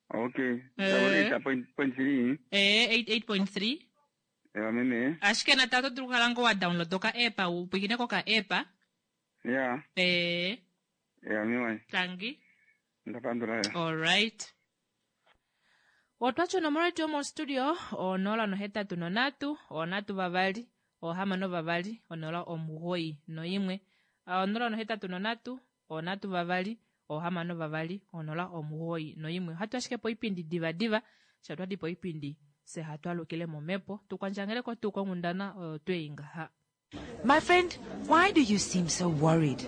Okay. Eh. 8.3. Eh, 88.3. Ewa meme. Ashike natango oto dulu okukala ngoo wa download oka app u pwilikine koka app. Ya. Eh. Ewa meme. Tangi. Ndapandula ya. All right. Otwati onomola yetu yomostudio 083 3 6 2 091. 083 3 6 2 091. Ohatu ashike poipindi divadiva, sha twadi poipindi fye hatu alukile momhepo tukwandjangeleko tuu konghundana oyo twei ngaha. My friend, why do you seem so worried?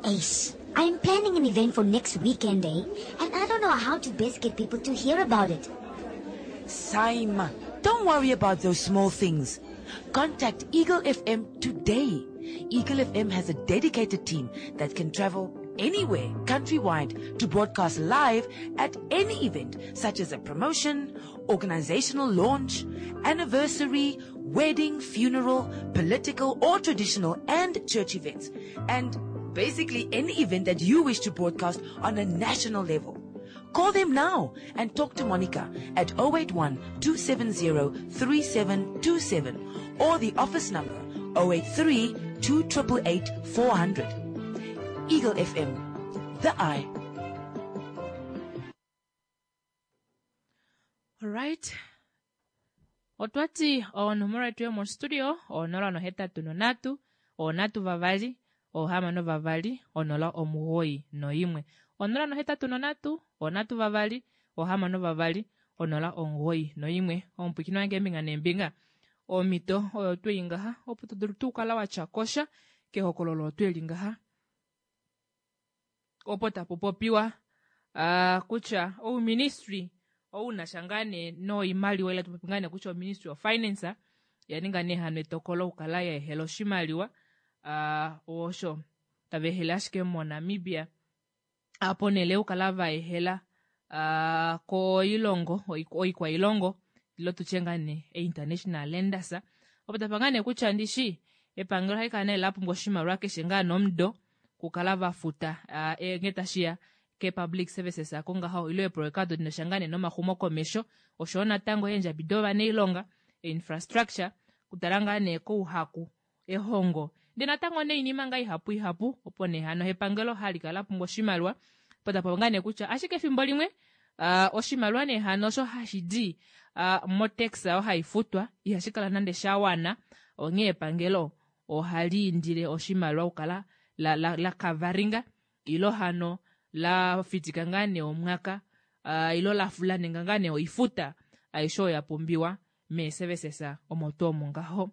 Ace, I'm planning an event for next weekend, eh? And I don't know how to best get people to hear about it. Saima, don't worry about those small things. Contact Eagle FM today. Eagle FM has a dedicated team that can travel anywhere countrywide to broadcast live at any event such as a promotion, organizational launch, anniversary, wedding, funeral, political or traditional and church events. And basically any event that you wish to broadcast on a national level. Call them now and talk to Monica at 081 270 3727 or the office number 083 288 400. Eagle FM, the eye. Alright. Otwati onomola yetu yomostudio 083 3 6 2 091. 083 3 6 2 091. Omupwikini wange eembinga neembinga. Omhito oyo twei ngaha opo to dulu tuu kala wa tya kosha kehokololo otweli ngaha. Opo tapu popiwa kutya ouministry ou na sha ngaa nee noimaliwa ile tupopi ngaa nee kutya oministry of finance ya ninga nee hano etokolo okukala ya ehela oshimaliwa osho tava ehele ashike moNamibia ponhele yokukala va ehela koilongo oikwailongo ilo tutye ngaa nee international lenders opo tapa ngaa nee kutya ndishi epangelo ohali kala nee la pumbwa oshimaliwa keshe ngaa nomudo kukala va futa ngee tashiya ke public services ako ngaho ile eeproyeka odo dina sha ngaa nee nomaxumokomesho oshoyo natango eendjabi dovanailonga, infrastructure, kutala ngaa nee kouhaku, ehongo Ndee natango nee oinima ngaa ihapu ihapu opo nee hano epangelo hali kala lapumbwa oshimaliwa opo tapopi ngaa nee kutya ashike efimbo limwe uh, oshimaliwa nee hano osho hashi di uh, motax oyo hai futwa ihashi kala nande sha wana onghee epangelo ohali indile oshimaliwa okukala la, la, la kavaringa ilo hano la fitika ngaa nee omwaka uh, ilo la, la ninga ngaa nee oifuta aishe oyo ya pumbiwa meeservices omo tuu omo ngaho.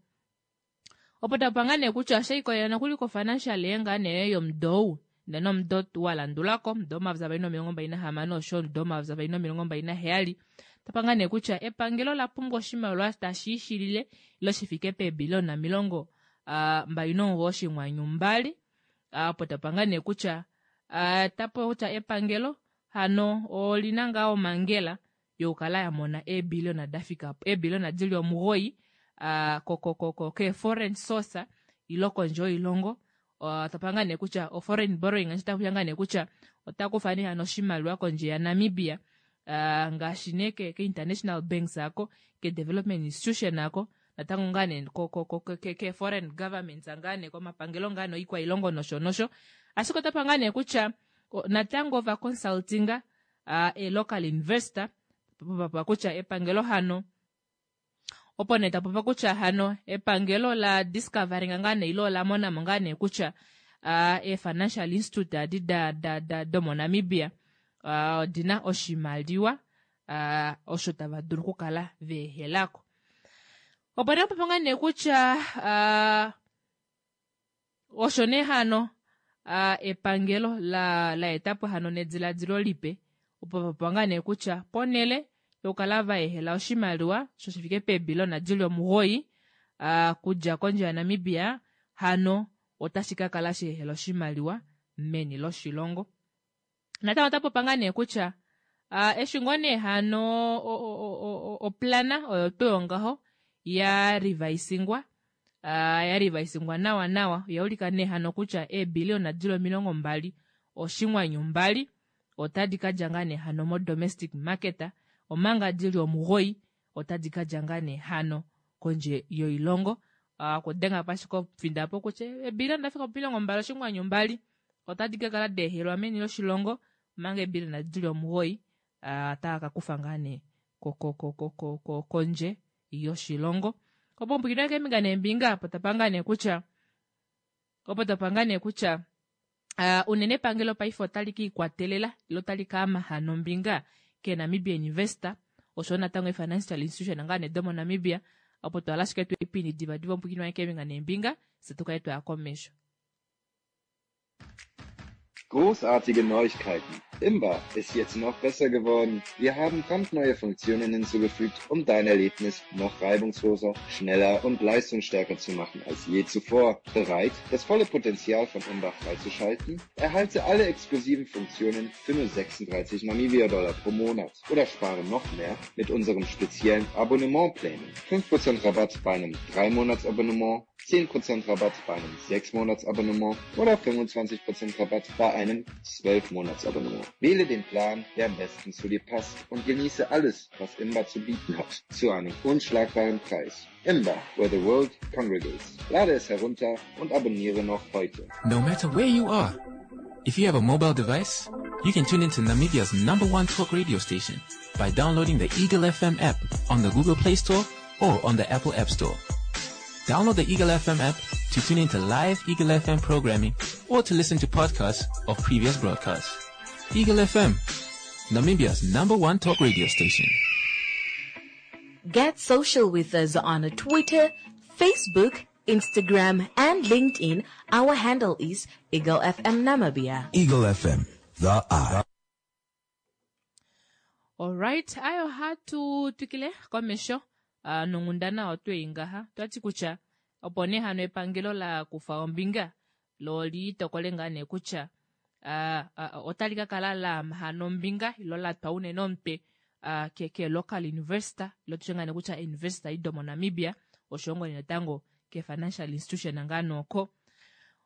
Opo tapa ngaa nee kutya osha ikolelela nokuli kofinancial year ngaa nee yomudo ou ndee nomudo wa landulako omudo 2026 osho omudo 2027 tapa ngaa nee kutya epangelo ola pumbwa oshimaliwa tashi ishilile ile shi fike peebiliona 29.2 opo tapa ngaa nee kutya tapa kutya epangelo hano olina ngaa omangela yokukala ya mona eebiliona da fika eebiliona dili omugoyi ke foreign source ilo kondje yoilongo tapa ngaa nee kutya o foreign borrowing ota kutya ngaa nee kutya ota kufa nee hano oshimaliwa kondje ya Namibia ngaashi nee ke, ke international banks ako ke development institution ako natango ngaa nee ko, ko, ko, ke, ke foreign governments ngaa nee komapangelo ngaa nee oikwailongo nosho nosho ashike otapa ngaa nee kutya natango ova consultinga e local investor popa kutya epangelo hano opo nee tapopa kutya hano epangelo la discovering ngaa nee ilo ola monamo ngaa nee kutya e financial institute adi da, da, da, domoNamibia odina oshimaliwa osho tava dulu okukala veehelako. Opo nee popa ngaa nee kutya Osho nee hano epangelo la la eta po hano nediladilo lipe opo va popya ngaa nee kutya ponhele yokukala va ehela oshimaliwa sho shi fike peebilona dili omugoyi kudja kondje yaNamibia hano otashi ka kala sha ehela oshimaliwa meni loshilongo. Natango ota popa ngaa nee kutya eshi ngoo nee hano oplana oyo tuu yongaho ya rivaisingwa ya rivaisingwa nawa nawa oya ulika nee hano kutya eebiliona dili 20.2 otadi ka dja ngaa nee hano mo domestic market omanga dili 9 otadi ka dja ngaa nee hano kondje yoilongo. Okudenga po ashike omufinda opo kutya eebiliona da fika po 20.2 otadi ka kala deehelwa meni loshilongo omanga eebiliona dili 9 otava ka kufa ngaa nee kondje yoshilongo. Opo ompwikinwa keembinga neembinga opo tapa ngaa nee kutya opo tapa ngaa nee kutya unene epangelo paife otali ka ikwatelela ile otali ka ama hano ombinga keNamibian Investor oshowo natango e-financial institution ngaa nee domoNamibia opo twala ashike tweipindi divadiva ompwikinwa keembinga neembinga fye tu kale twaya komesho. Großartige Neuigkeiten! Imba ist jetzt noch besser geworden. Wir haben brandneue Funktionen hinzugefügt, um dein Erlebnis noch reibungsloser, schneller und leistungsstärker zu machen als je zuvor. Bereit, das volle Potenzial von Imba freizuschalten? Erhalte alle exklusiven Funktionen für nur 36 Namibia-Dollar pro Monat oder spare noch mehr mit unserem speziellen Abonnementplänen. 5% Rabatt bei einem 3-Monats-Abonnement, 10% Rabatt bei einem 6-Monats-Abonnement oder 25% Rabatt bei einem 12-Monats-Abonnement. Wähle den Plan, der am besten zu dir passt und genieße alles, was Imba zu bieten hat, zu einem unschlagbaren Preis. Imba, where the world congregates. Lade es herunter und abonniere noch heute. No matter where you are, if you have a mobile device, you can tune into Namibia's number one talk radio station by downloading the Eagle FM app on the Google Play Store or on the Apple App Store. Download the Eagle FM app to tune into live Eagle FM programming or to listen to podcasts of previous broadcasts. Eagle FM, Namibia's number one talk radio station. Get social with us on Twitter, Facebook, Instagram, and LinkedIn. Our handle is Eagle FM Namibia. Eagle FM, the eye. Alright, ayo hatu twikile komesho uh, nonghundana otwe i ngaha twati kutya opo nee hano epangelo la kufa ombinga lo li tokole ngaa nee kutya uh, uh, otali ka kala la hano ombinga ilo la twa unene omutwe uh, ke, ke local investor ilo tutye ngaa nee kutya investor ido moNamibia oshowo ngoo nee natango ke financial institution ngaa nooko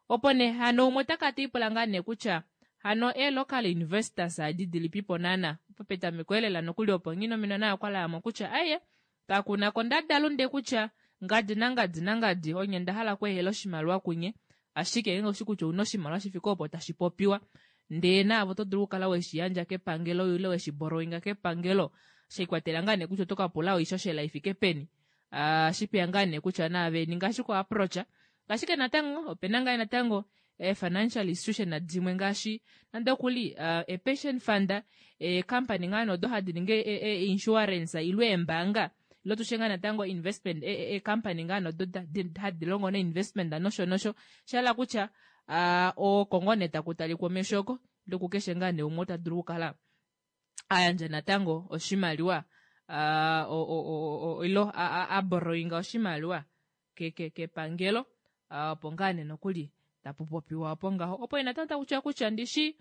Opo nee hano umwe ota kala te lipula ngaa nee kutya hano ee local investors adi dilipipo naana? Opo petameko elela nokuli opo Nghinomino naye okwa laya mo kutya aye kakuna kondadalunde kutya ngadi nangadi nangadi onye nda hala okweehela oshimaliwa kunye. Ashike ngeenge oushi kutya ouna oshimaliwa shi fike opo tashi popiwa ndee naave oto dulu okukala weshi yandja kepangelo ile weshi borrowinga kepangelo sheikwatelela ngaa nee kutya oto ka pula oishoshela ifike peni. Shipeya ngaa nee kutya naave ninga ashike o approach. Ashike natango opena ngaa natango ee financial institution dimwe ngaashi nande okuli e pension fund, ee company ngaa nee odo hadi ningi e insurance ile eembaanga ile tushe ngaa natango investment e company ngaa nee odo hadi longo no investment nosho nosho. Shahala kutya oko ngoo nee taku talikwa omesho oko ile kukeshe ngaa nee umwe ota dulu okukala a yandja natango oshimaliwa ilo a borrowinga oshimaliwa kepangelo opo ngaa nee nokuli tapu popiwa opo ngaho. Opo natango taku tiwa kutya ndishi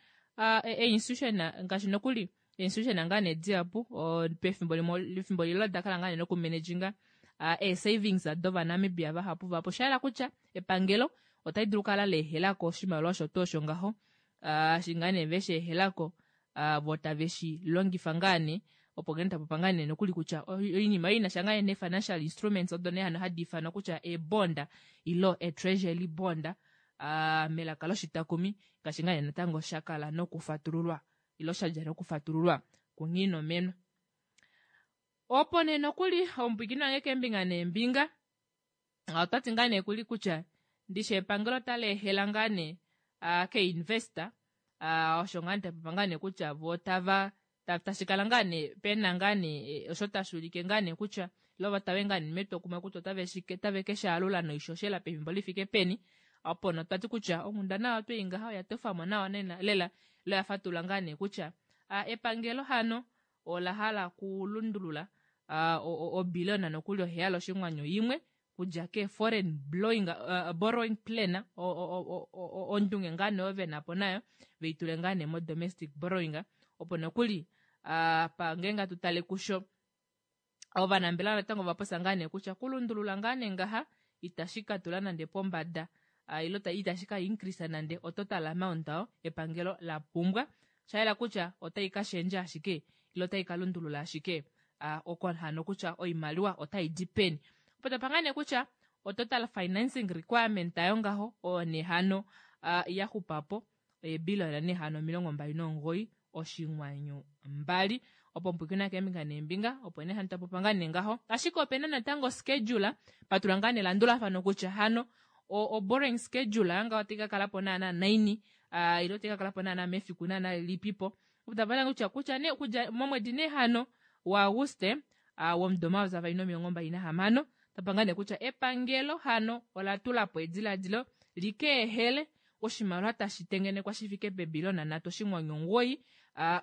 e-institution ngaashi nokuli institution ngaa nee dihapu pefimbo limwe efimbo lilo oda kala ngaa nee nokumanaginga ee-savings dOvanamibia vahapu vahapu. Osha yela kutya epangelo otali dulu okukala la ehela ko oshimaliwa osho tuu osho ngaho, eshi ngaa nee ve shi ehela ko vo tave shi longifa ngaa nee opo ngeno tapopa ngaa nee nokuli kutya oinima oyo inasha ngaa nee financial instruments odo nee hano hadi ifanwa kutya eebond ilo e-treasury bond melaka loshitakumi ngaashi ngaa nee natango sha kala nokufatululwa ilo sha dja nokufatululwa kuNghiinomenwa. Opo nee nokuli omupwiikini wange keembinga neembinga Ota ti ngaa nee kuli kutya ndishi epangelo otali ehela ngaa nee keinvesta osho ngaa nee tapopa ngaa nee kutya vo tava tashi kala ngaa nee pena ngaa nee e, osho tashi ulike ngaa nee kutya ilo va tave ngaa nee metwokumwe kutya otave shi otave ke shi alula noishoshela pefimbo li fike peni. Opo notwa ti kutya onghundana oyo twei ngaha oya tofamo nawa nena lela ilo ya fatulula ngaa nee kutya epangelo hano ola hala kulundulula obilliona nokuli oheyali oshinghwanyu imwe kudja ke foreign blowing, borrowing plan ondunge ngaa nee oyo vena po nayo veitule ngaa nee mo domestic borrowing opo nokuli pa ngeenge atu tale kusho ovanambelewa natango ova popya ngaa nee kutya kulundulula ngaa nee ngaha itashi ka tula nande pombada ile itashi ka increase nande o total amount oyo epangelo la pumbwa. Osha yela kutya otai ka shendja ashike ile otai ka lundulula ashike oko hano kutya oimaliwa otai di peni. Opo tapa ngaa nee kutya o total financing requirement ayo ngaho oyo nee hano ya xupa po eebiliyona nee hano 29.2. Opo mpwikina keembinga neembinga opo nee hano tapopa ngaa nee ngaho. Ashike opena natango schedule patula ngaa nelandulafano kutya hano o borrowing schedule ngaho otai ka kala po naana naini ile otai ka kala po naana mefiku naana lilipipo. Opo tapa kutya kutya nee okudja momwedi nee hano waAguste womudo 2026 tapa ngaa nee kutya epangelo hano ola tula po ediladilo likeehele oshimaliwa tashi tengenekwa shi fike pebiliyona nhatu oshinghwanyu omugoyi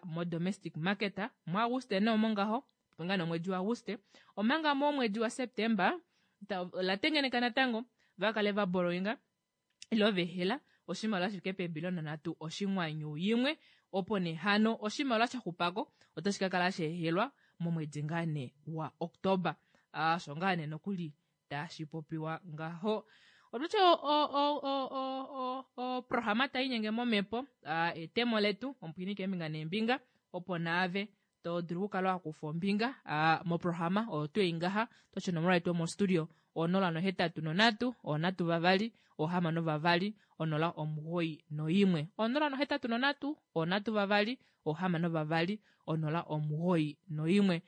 modomestic market muAguste nee omo ngaho nga nomwedi waAguste omanga momwedi waSeptemba ola tengeneka natango va kale va borrowinga ile vehela oshimaliwa shi fike peebiliyona nhatu oshinghwanyu imwe opo nee hano oshimaliwa sha xupako otashi ka kala sheehelwa momwedi ngaa nee waOktoba. Osho ngaa nee nokuli tashi popiwa ngaho. Otutye oprograma tai inyenge momhepo etemo letu omupwini keembinga neembinga opo naave to dulu okukala wa kufa ombinga moprograma oyo tuu ei ngaha totye onomola yetu yomostudio 083 3 6 2 091 083 3 6 2 091 onghee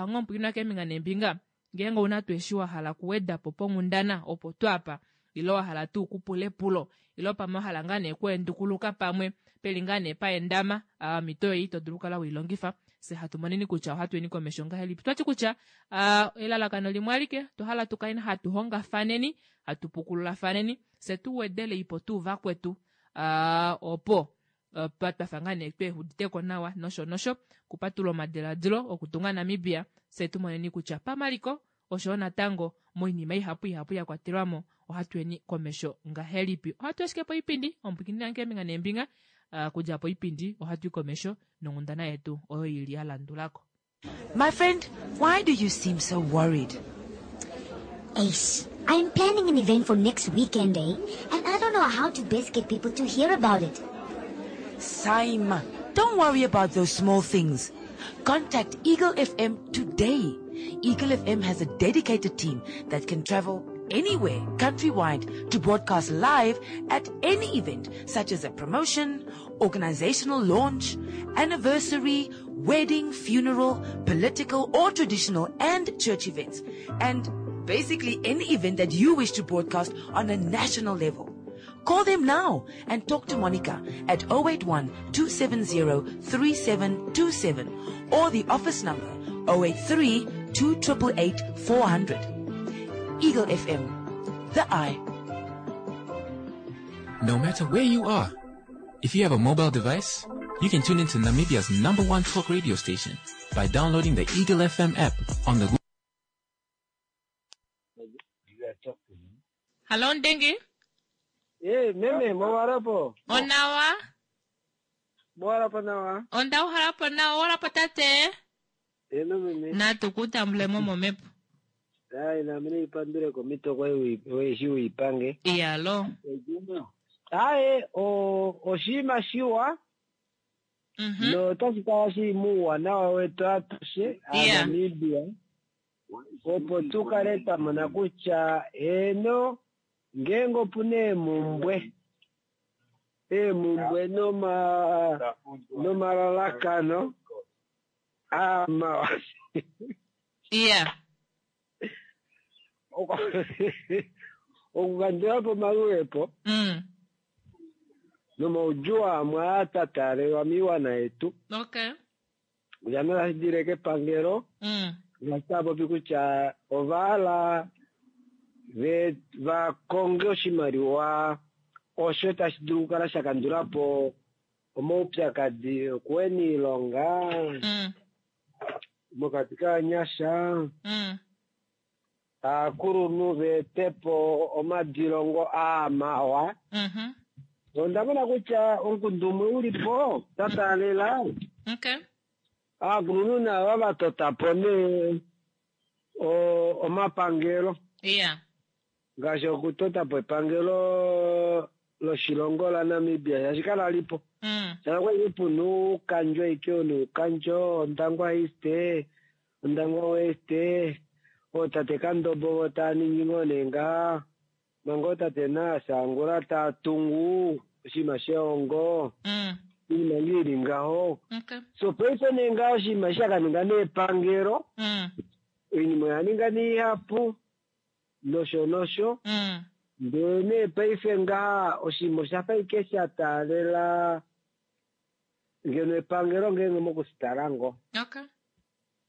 omupwini keembinga neembinga Ngeenge ouna tuu eshi wa hala okuweda po ponghundana opo tu apa, ile wa hala tuu okupula epulo, ile pamwe wa hala ngaa nee okuendukuluka pamwe peli ngaa nee paendama, omhito oyo ito dulu okukala wei longifa. Fye hatu moneni kutya ohatu yeni komesho ngahelipi. Otwa ti kutya elalakano limwe alike, otwa hala tu kaleni hatu hongafaneni, hatu pukululafaneni, fye tu wedele ipo tuu vakwetu opo twa fa ngaa nee tweehuditeko nawa nosho nosho okupatulula omadiladilo okutunga Namibia fye tu moneni kutya pamaliko oshoyo natango moinima ihapu ihapu ya kwatelwa mo ohatu yeni komesho ngahelipi. Ohatu ashike poipindi omupwikinina wange keembinga neembinga kudja poipindi ohatu i komesho nonghundana yetu oyo ili ya landulako. My friend, why do you seem so worried? Ace, I'm planning an event for next weekend, eh? And I don't know how to best get people to hear about it. Saima, don't worry about those small things. Contact Eagle FM today. Eagle FM has a dedicated team that can travel anywhere countrywide to broadcast live at any event such as a promotion, organizational launch, anniversary, wedding, funeral, political or traditional and church events, and basically any event that you wish to broadcast on a national level. Call them now and talk to Monica at 081 270 3727 or the office number 083 2888 400. Eagle FM, the eye. No matter where you are, if you have a mobile device, you can tune into Namibia's number one talk radio station by downloading the Eagle FM app on the Google Hallo Ndengi. Eh, meme, mwawarapo. Onawa. Mwawarapo nawa. Onda uhalapo nawa, uhalapo tate. Eno meme. Natu kutambulemo momepo. Ai, nami niipandule komito kwai weshi uipange. Iyalo. Ae, oshinima shiwa. Notashi kala shili muuwanawa wetu atushe Aanamibia opo tu kale twa mona kutya eeno ngeenge opu na eemumbwe eemumbwe noma nomalalakano amawa Yeah. okukandula po omaluhepo nomaudjuu amwe aa twa taalelwa moiwana yetu Okay. kutya nee otashi dile kepangelo ngaashi tava popi kutya ova hala ve va konge oshimaliwa osho tashi dulu okukala sha kandula po omaupyakadi okuhena oilonga mokati kovanyasha aakulunhu va ete po omadilongo aa mawa. Onda mona kutya omukundu umwe u li po twa taalela Okay. aakulunhu naava va tota po nee omapangelo Yeah. ngaashi okutota po epangelo loshilongo laNamibia shaashi kala li po shaashi okwali puna oukandjo aike onuukandjo Ondangwa East Ondangwa West ootate Kandombo vo tava ningi ngoo nee ngaha manga ootate naSangula tava tungu oshinima shehongo oinima ngoo ili ngaho Okay. so paife nee ngaha oshinima eshi shakaninga nee epangelo oinima oya ninga nee ihapu nosho nosho ndee nee paife ngaha oshinima oshafa ashike sha taalela ngeno epangelo ngeenge mokushitala ngoo Okay.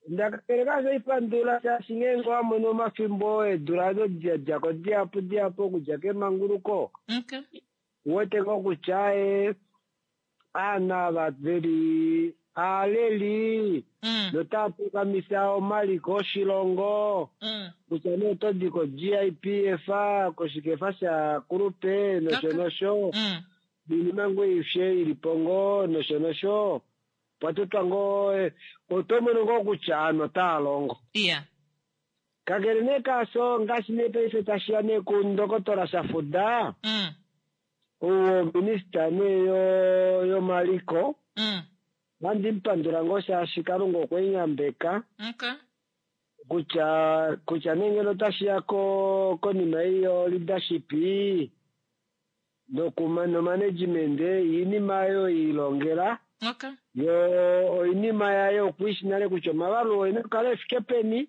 Ndakakele kaasho ipandula shaashi ngeenge owa mono omafimbo eedula ado da djako dihapu dihapu okudja kemanguluko Okay. uwete ngoo kutya ee aanhu ava veli aaleli notava pukamisa omaliko oshilongo kutya nee oto di ko-GIPF koshikefa shakulupe nosho nosho noinima ngoo aishe ilipo ngoo nosho nosho opwa totwa ngoo oto mono ngoo kutya aanhu otava longo Yeah. kakele nee kaasho ngaashi nee paife tashiya nee kundokotola Shafuda ou ominista nee yomaliko ohandi mupandula ngoo shaashi Kalunga okwe mu yambeka Okay. kutya kutya nee ngeno otashiya ko konima ei yo leadership nokuma nomanagement oinima oyo eilongela Okay. yo oinima yaye okwiishi nale kutya omavalulo oina okukala efike peni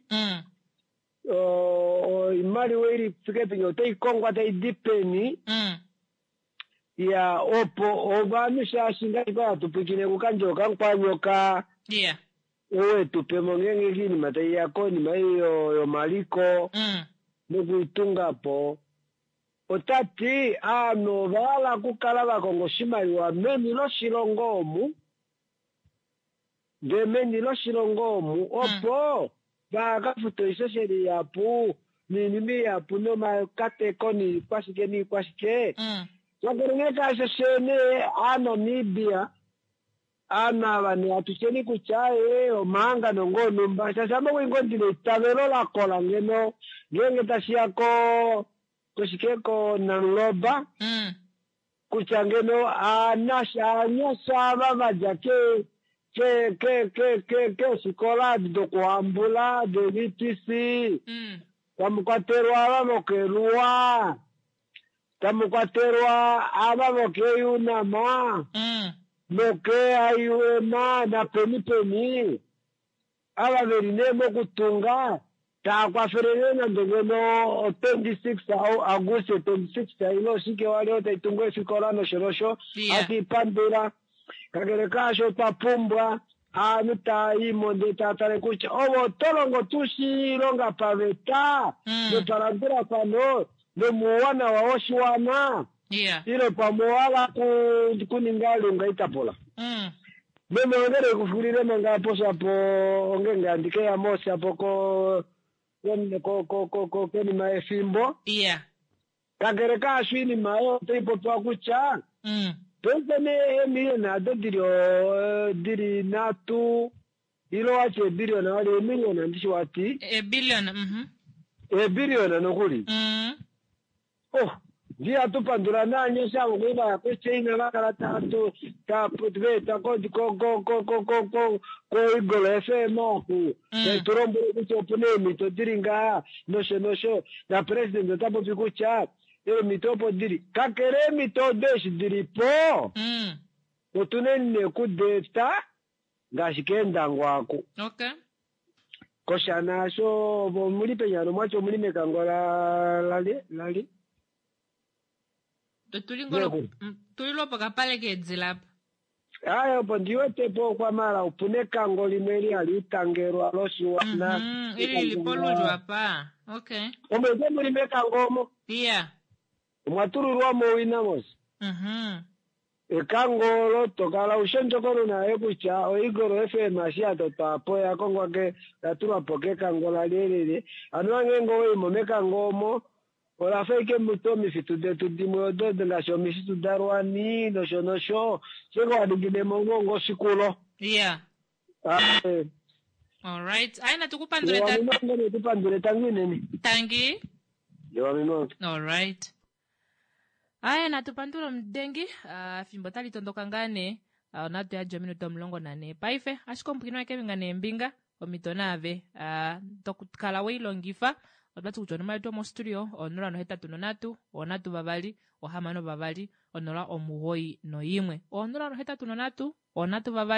oimaliwa ili fike peni otai kongwa taidi peni ya opo ovanhu shaashi ngaashi kwa hatu pwiikine kukandjo kamukwanyoka Yeah. ou etupemo ngeenge kiinima taiya konima ei yomaliko nokuitunga po otati aanhu ova hala okukala va konga oshimaliwa meni loshilongo omu ndee meni loshilongo omu opo vakafuta oishoshela ihapu noinima ihapu nomakateko niikwashike niikwashike kakele nee kaasho shene aanamibia aanhu ava nee atusheni kutya ee omahangano ngoo onumba shaashi ame okwali ngoo ndina eitavelo lakola ngeno ngeenge tashiya ko koshike koNamloba kutya ngeno aanyasha ava vadja ke ke ke ke ke keefikola adi dokuhambula de-VTC. Tamu kwatelwa ava vokeluwa, tamu kwatelwa ava vokeUNAM, noke-IUM napeni peni, ava veli nee mokutunga taa kwafele nee nande ngeno o 26 Auguste 26 ile oshike wali oyo tai tungu eefikola nosho nosho, hatu i pandula. Kakele kaasho otwa pumbwa aanhu taa i mo ndee taa tale kutya ove oto longo tuu shi ilonga paveta nopalandulafano nomuuwanawa woshiwana ile pamwe owa hala kuninga lunga itapula. Meme ongele kufulile manga poshapo ongenge handi ke ya moshapo ko ko ko ko konima yefimbo. Kakele kaasho oinima oyo otai popiwa kutya paife nee eemiliona ado dili dili nhatu ile owati eebiliona wali eemiliona ndishi wati? Eebiliona, mhm. Eebiliona nokuli. Oh, ndi hatu pandula naanyasha avo kwali vaya koChina va kala tatu ta veeta ko ko ko ko ko ko ko koEagle FM oku tai tu lombwele kutya opuna eemhito dili ngaha nosho nosho na president ota popi kutya eemhito opo dili kakele eemhito odo eshi dili po otuneni nee kudeeta ngaashi keendangwa aku. Okay. Koshana asho omuli peni hano mwati omuli mekango la lali lali? Tuli ngolo tuli lwopokapale keedila apa. Aye opo ndi wete po okwamala opuna ekango limwe li hali itangelwa loshiwana. Mm -hmm. Ili li polulyo apa. Okay. Omo ite muli mekango omo. Yeah. Omwa tululwa mo owina mos. Mm -hmm. Ekango olo to kala u shi ondjokonona yoye kutya oEagle FM eshi ya totwa po oya kongwa ke, oya tulwa po kekango la lyelele. Anuwa ngeenge owa i mo mekango omo, ola fa ashike mutu omifitu detu dimwe odo ngaashi omifitu daRwani nosho nosho, ashike wa ningine mo ngoo ngoshikulo. Yeah. Ae. Alright. Aye natu ku pandule ta. Natu ku pandule tangi unene. Tangi. Alright. Aye natu pandule omudengi ah, efimbo otali tondoka ngaa nee Ah, onatu yadja ominute 14 paife ashike omupwikini wakevinga neembinga omhito naave ah, tokala we i longifa otwa ti kutya onomola yetu yomostudio 083 3 6 2 091 083 3 6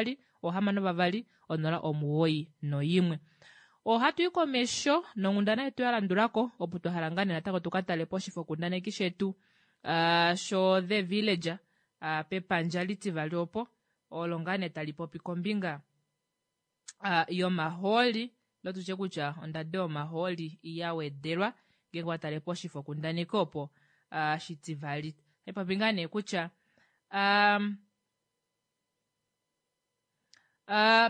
2 091 Ohatu i komesho nonghundana yetu ya landulako opo twa hala ngaa nee natango tu ka tale poshifokundaneki shetu uh, sho The Villager uh, pepandja litivali opo olo ngaa nee tali popi kombinga uh, yomahooli lotutye kutya ondado yomahooli ya wedelwa ngeenge wa tale poshifokundaneki opo uh, shitivali tai popi ngaa nee kutya um, Uh,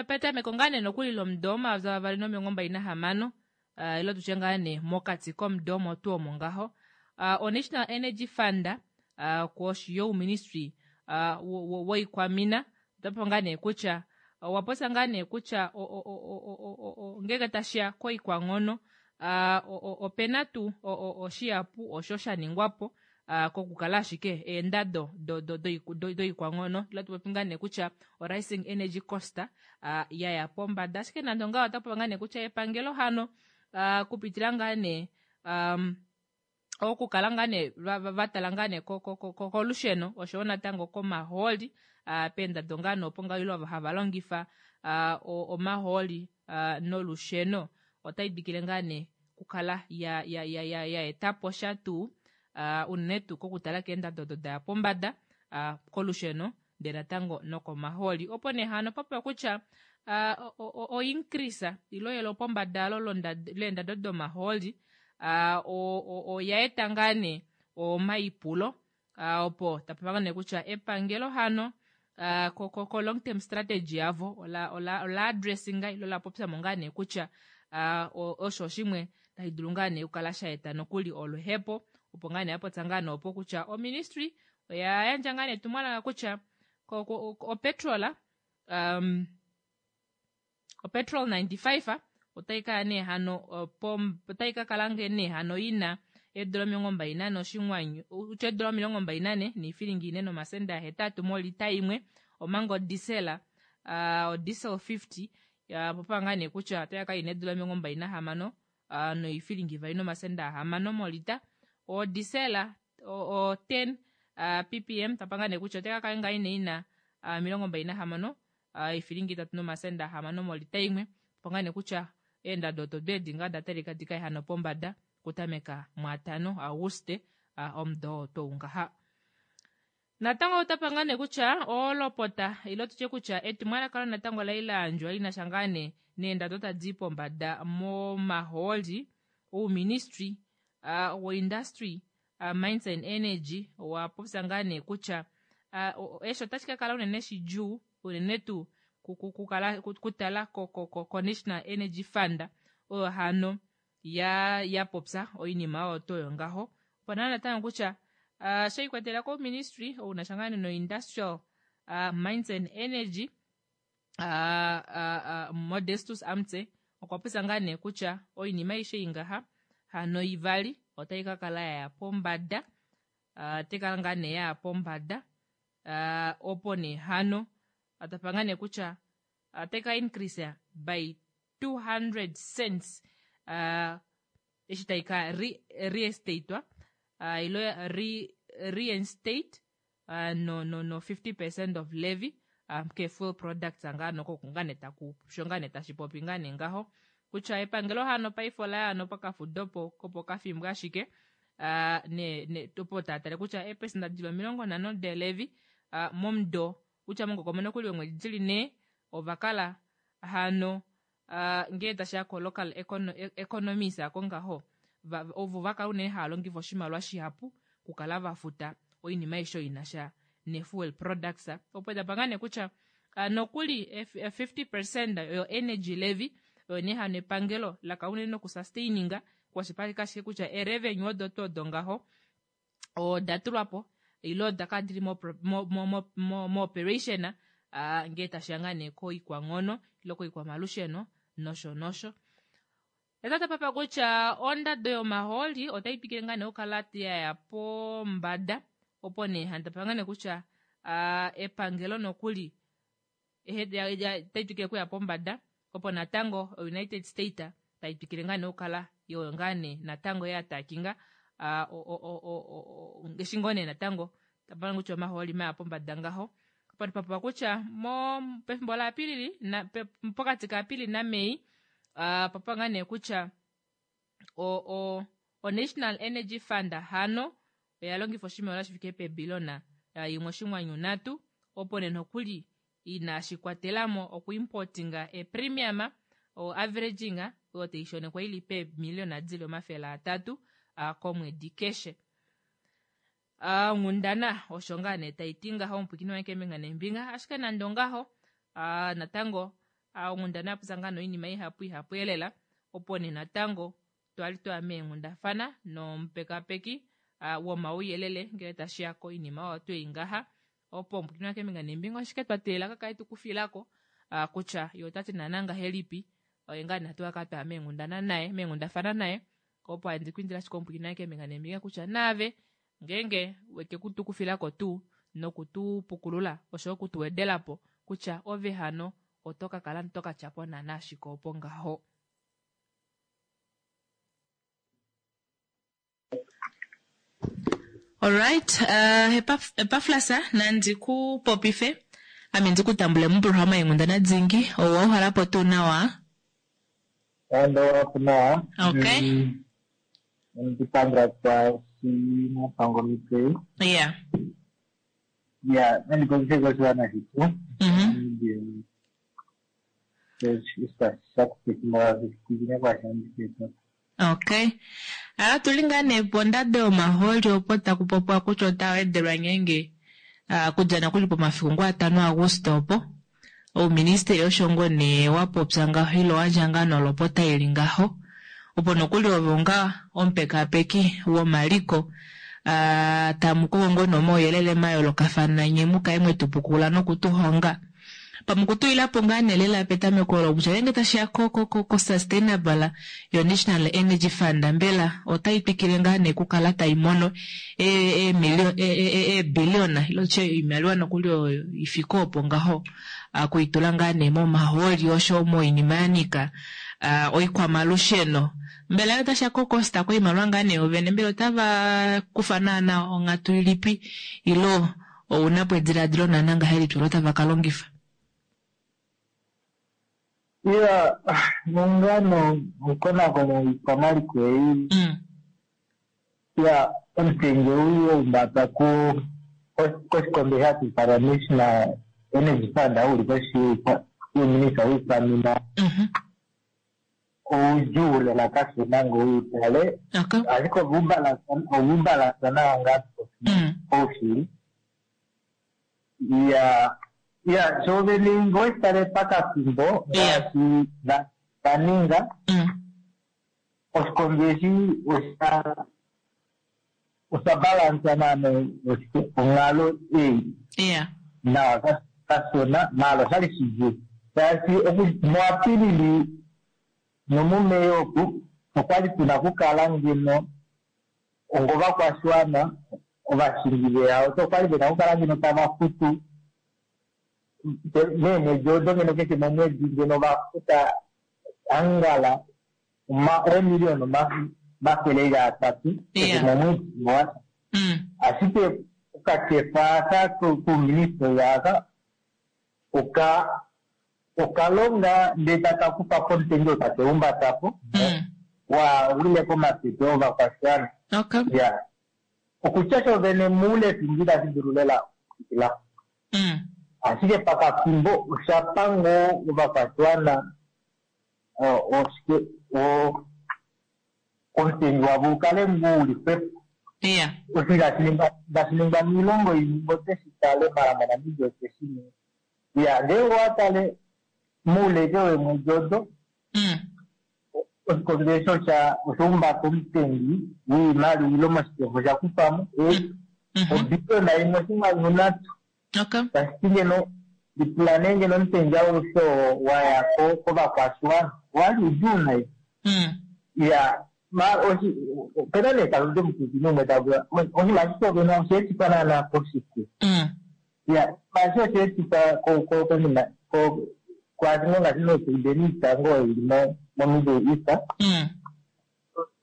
petameko ngaa nee nokuli lomudo womayovi 2026 uh, ile tutye ngaa nee mokati komudo omo tuu omo ngaho uh, oNational Energy Fund uh, koshi youministry uh, woikwamina otapopi ngaa nee kutya owa popya ngaa nee kutya ngeenge tashiya koikwanghono uh, opena tuu oshihapu osho sha ningwa po kokukala ashike eendado doikwanghono ila tu popi ngaa nee kutya o-rising energy cost ya ya pombada ashike nande ongaho ota popi ngaa nee kutya epangelo hano kupitila ngaa nee um, okukala ngaa nee va tala ngaa nee kolusheno oshowo natango komahooli peendado ngaa nee opo ngaa ile hava longifa omahooli nolusheno otai twikile ngaa nee okukala ya, ya, ya, ya, ya eta po sha tuu uh, unene tuu kokutala keendado odo da ya pombada uh, kolusheno ndee natango nokomahooli opo nee hano papopiwa kutya uh, oincrease ilo yelo pombada alo leendado domahooli uh, oya eta ngaa nee omaipulo uh, opo tapopiwa nee kutya epangelo hano uh, ko, ko, ko long term strategy yavo ola, ola, ola addressinga ilo la popya mo ngaa nee kutya uh, osho shimwe tashi dulu ngaa nee okukala sha eta nokuli oluhepo opo ngaa nee yapopya ngaa nee opo kutya oministry oya yandja ngaa nee etumwalaka kutya opetrol um, opetrol 95 otai kala nee hano otai ka kala nge nee hano ina eedula 24 oshinghwanyu utya eedula 24 niifilingi ine nomasenda ahetatu molita imwe omanga odisela uh, odiesel 50 ya popa ngaa nee kutya otai ka kala ina eedula 26. noifilingi 2 nomasenda 6 molita. Odisela o 10 ppm tapanga nee kutya otai kakala ngaa nee ina 26 ifilingi 3 nomasenda 6 molita imwe. Tapanga nee kutya eendado odo edi ngaa da talika dikaye hano pombada okutameka muatano Auguste omudo oo tou ngaha. Natango otapa ngaa nee kutya olopota ile tutye kutya etumwalaka olo natango lai la yandjwa li na sha ngaa nee neendado tadi i pombada momahooli. Ouministry woindustry mines and energy owa popya ngaa nee kutya eshi otashi ka kala unene shidjuu unene tuu kukala kutala ko National Energy Fund oyo hano ya popya oinima oyo toyo ngaho. Opo naa natango kutya she ikwatelela kouministry ounasha ngaa nee noindustrial mines and energy Modestus Amutse okwa popya ngaa nee kutya oinima aishe ingaha hano ivali otai ka kala yaya pombada, otai kala ngaa nee yaya pombada opo nee hano tapa ngaa nee kutya otai ka increase by 200 cents eshi tai ka reinstatewa ilo reinstate no 50% of levy ke fuel products ngaa noko ngaa nee taku sho ngaa nee tashi popi ngaa nee ngaho kutya epangelo hano paife ola ya hano pokafudo kopokafimbo ashike ne opo taatale kutya eepesenda dili 50 delevy momudo kutya mongokomona kuli omwedi dili 4 ova kala hano ngee tashiya ko local economies ako ngaho ovo vakala unene hava longifa oshimaliwa shihapu okukala vafuta oinima aishe ina sha nefuel products. Opo tapa ngaa nee kutya nokuli 50% yo energy levy oyo nee hano epangelo laka unene nokusustaininga kwashipaleka ashike kutya erevenue odo tuu odo ngaho oda tulwapo ile oda kala dili mo operation ngee tashiya ngaa nee koikwanghono ile koikwamalusheno nosho nosho. Etata papa kutya ondado yomahooli otai twikile ngaa nee okukala yaya pombada opo nee hano tapa ngaa nee kutya epangelo nokuli otai twikile okuya pombada opo natango United States tai twikile ngaa nee okukala oyo ngaa nee natango ya takinga eshi ngoo nee natango tapa kutya omahooli maya pombada ngaho. Opo papa kutya pefimbo laApilili pokati kaApilili naMei papa ngaa nee kutya o National Energy Fund hano oya longifa oshimaliwa shi fike pebilona 1.3 opo nee nokuli inashi kwatelamo okuimportinga epremium o averaging oyo taishonekwa ili peemiliona dili 300 komwedi keshe. Onghundana osho ngaa nee taiti ngaho omupwiikini wange keembinga neembinga, ashike nande ongaho natango onghundana yapopya ngaa noinima ihapu ihapu elela opo nee natango twali twaya meenghundafana nomupekapeki womauyelele ngele tashiya koinima oyo twei ngaha opo omupwiikini wange keembinga neembinga oshike twa teelela kakale tukufilako kutya ye otati naana ngahelipi oye ngaa nee hatu kala twaya meenghundana naye meenghundafana naye opo andikwindila ashike omupwiikini wange keembinga neembinga kutya naave ngeenge weke kutukufilako tuu nokutupukulula oshoyo okutuwedelapo kutya ove hano oto ka kala to ka tyapo naana ashike opo ngaho. Alright, Epaflas nandi ku popife ame ndi ku tambule muprograma yenghundana dingi owa uhalapo tuu nawa? Ando nawa. Okay. Ndipandula kwashi napango mitei. Ya, nandipopise koshiwana shetu. Okay. Ala tuli ngaa nee pondado yomahooli opo taku popiwa kutya otaa wedelwa ngeenge kudja nokuli pomafiku ngoo 5 Auguste opo ouministeli osho ngoo nee wa popya ngaho ile owandja ngaa nolopota ili ngaho opo nokuli ove onga omupekapeki womaliko tamu kongo ngoo nomauyelele mayoolokafana nye mukale mwetupukula nokutuhonga pamukutulilapo ngaa nee lela petameko olo kutya ngeenge tashiya ko sustainable yo National Energy Fund mbela otai twikile ngaa nee okukala tai mono eebiliona ile tutye oimaliwa nokuli oyo ifike opo ngaho kuitula ngaa nee momahooli osho moinima ya nyika Oikwamalusheno mbela otasha kokosta koimaliwa ngaa nee yovene, mbela otava kufa naana onghatu ilipi ilo ouna po ediladilo naana ngahelipi olo tava ka longifa? Iya, nongano omukonakono woikwamaliko ei, iya, omutenge ou waumbata koshikondo hashi ifanwa National Energy Fund ou li koshi youminista woikwamina, oudjuu lela kashona ngee uitale, ashike ovaubalansa nawa ngaa paushili. Iya, iya, shoovene ngee oweshitale pakafimbo ngaashi vaninga, oshikondo eshi osha balansa naana onghalo ei nawa kashona, maala oshali shidjuu shaashi muApilili nomuMei oku okwali tuna okukala ngeno ongovakwashiwana ovashingi veehauto okwali vena okukala ngeno tava futu meemwedi odo ngeno keshe momwedi ngeno vafuta angala eemiliyona 300 keshe momwedi, ashike okakefa aka kouministeli aka okalonga ndee taka kufa po omutengi oo take umbata po wa wile komapepe ovakwashiwana. Ya, okutya shovene moule efimbo itashi dulu lela okufikila, ashike pakafimbo oshapa ngoo ovakwashiwana oshike omutengi wavo ukale ngoo uli xwepo. Osho inashi ningwa moilongo imwe otweshi tale, mala moNamibia otweshi ninga. Ya, ngeenge owa tale moule ashike weemwedi odo, oshikondo eshi osha umbata omutengi woimaliwa ile moshikefo osha kufa mo obiliyona 1.3. Tashi ti ngeno lipula nee ngeno omutengi aushe oo wa ya kovakwashiwana owali udjuu nai. Ya, opena nee talude omupwilikini umwe tavula oshinima eshi shovene osha etifwa naana koshike? Ya, oshinima eshi osha etifwa konima kwaashi ngoo ngaashi meepresidente itango oyo ili moMiddle East,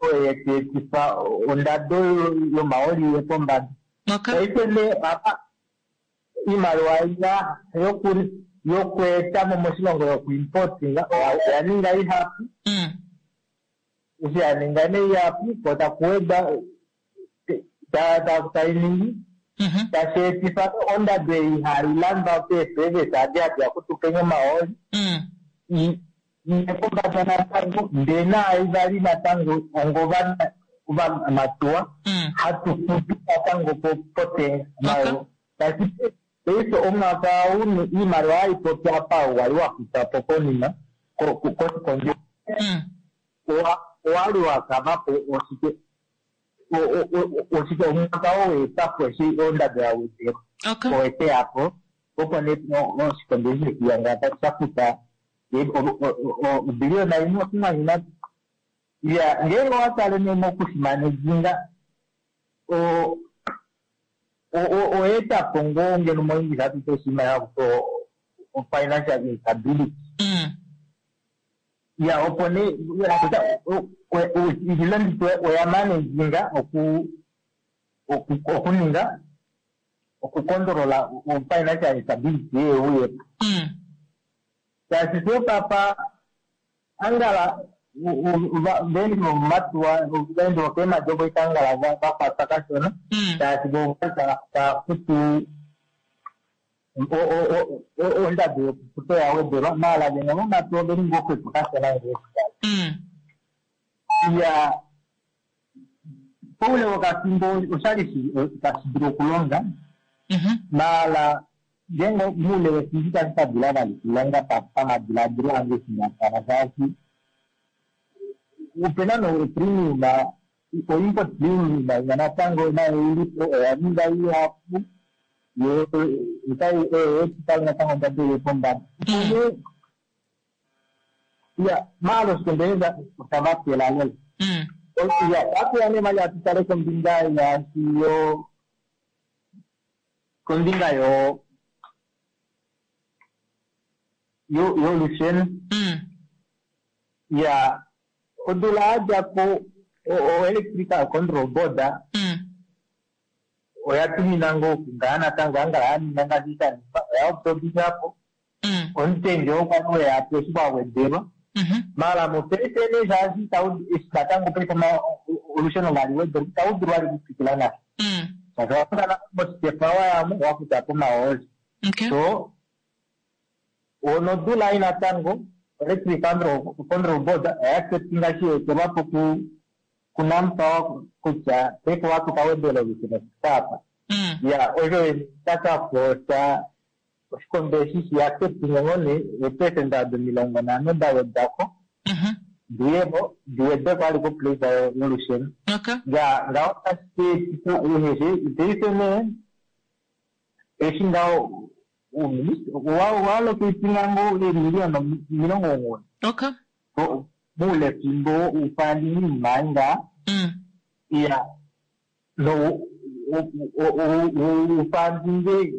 oyo yetu etifa ondado yomaoli iye pombada. Paife nee apa iimaliwa ina yokweeta mo moshilongo yokuimportinga oya ninga ihapu. Eshi ya ninga nee ihapu, ko taku weda tai ningi tashi etifa ondado ei hai landwa peeservice adi hadi ya kutupenya omahooli iye pombada natango, ndee naai vali natango ongova ovamatuwa hatu futu natango potenga nayo. Tashi paife omwaka ou iimaliwa haipopi apa wali wa futwa po konima koshikondo owali wa kava po oshike oshike omwaka oo weeta po eshi ondado ya wedelwa oweteya po opo nee oshikondo eshi shekiyanga sha futa obiliyona 1.3. Ya, ngeenge owa tale nee mokushimanejinga oweeta po ngoo ngeno moEnglish hatu ti oshinima hakuti financial instability. Ya, opo nee ilondito oya manejinga okuninga okukondolola financial instability yeuyepo, shaashi sho papa angala vendi vomomatuwa vendi vokeemadi ovo ikangala vakwatwa kashona, shaashi vo tava futu ondado yokufuta oya wedelwa, maala vene momatuwa oveli ngoo xwepo kashona ngee ya poule wokafimbo oshali tashi dulu okulonga, maala ngeenge moule wefimbo itashi ka dula vali okulonga pamadiladilo ange eshinakala, shaashi opena no premium o-import premium ina natango nayo ilipo oya ninga ihapu yo otai oyo etifa natango ondado iye pombada. Ya, maala oshikondo osha vatela lela. Ya, atuya nee vali atu tale kombinga yaashi yo kombinga yo yolusheno. Ya, odula yadja ko o-Electrical Control Board oya tumina ngoo okungaa natango angala ya ninga ngaashi sha ningwa, oya obsorbisha po omutenge oo kwali weya po eshi kwa wedelwa. Maala mopaife nee shaashi itau eshi natango paife olusheno vali wedelwa itau dulu vali okutwikila nasho. Shaashi owa futa natango moshikefa wayamo wa futa po omahooli. So nodula ei natango Electric Control Board oya acceptinga eshi ya etelwa po ku kuNamPower kutya paife ohatu ka wedela olusheno fika apa. Ya, osho sha ka forsa oshikondo eshi shi acceptinge ngoo nee eepersenda odo 50 da wedwa ko diye po di wede ko vali koprisa yolusheno. Ya, ngaho otashi ka etifa ehehe paife nee eshi ngaho uuministeli owa allocatinga ngoo eemiliyona 90 moulefimbo woufandinima ei ngaa iya no ufandinge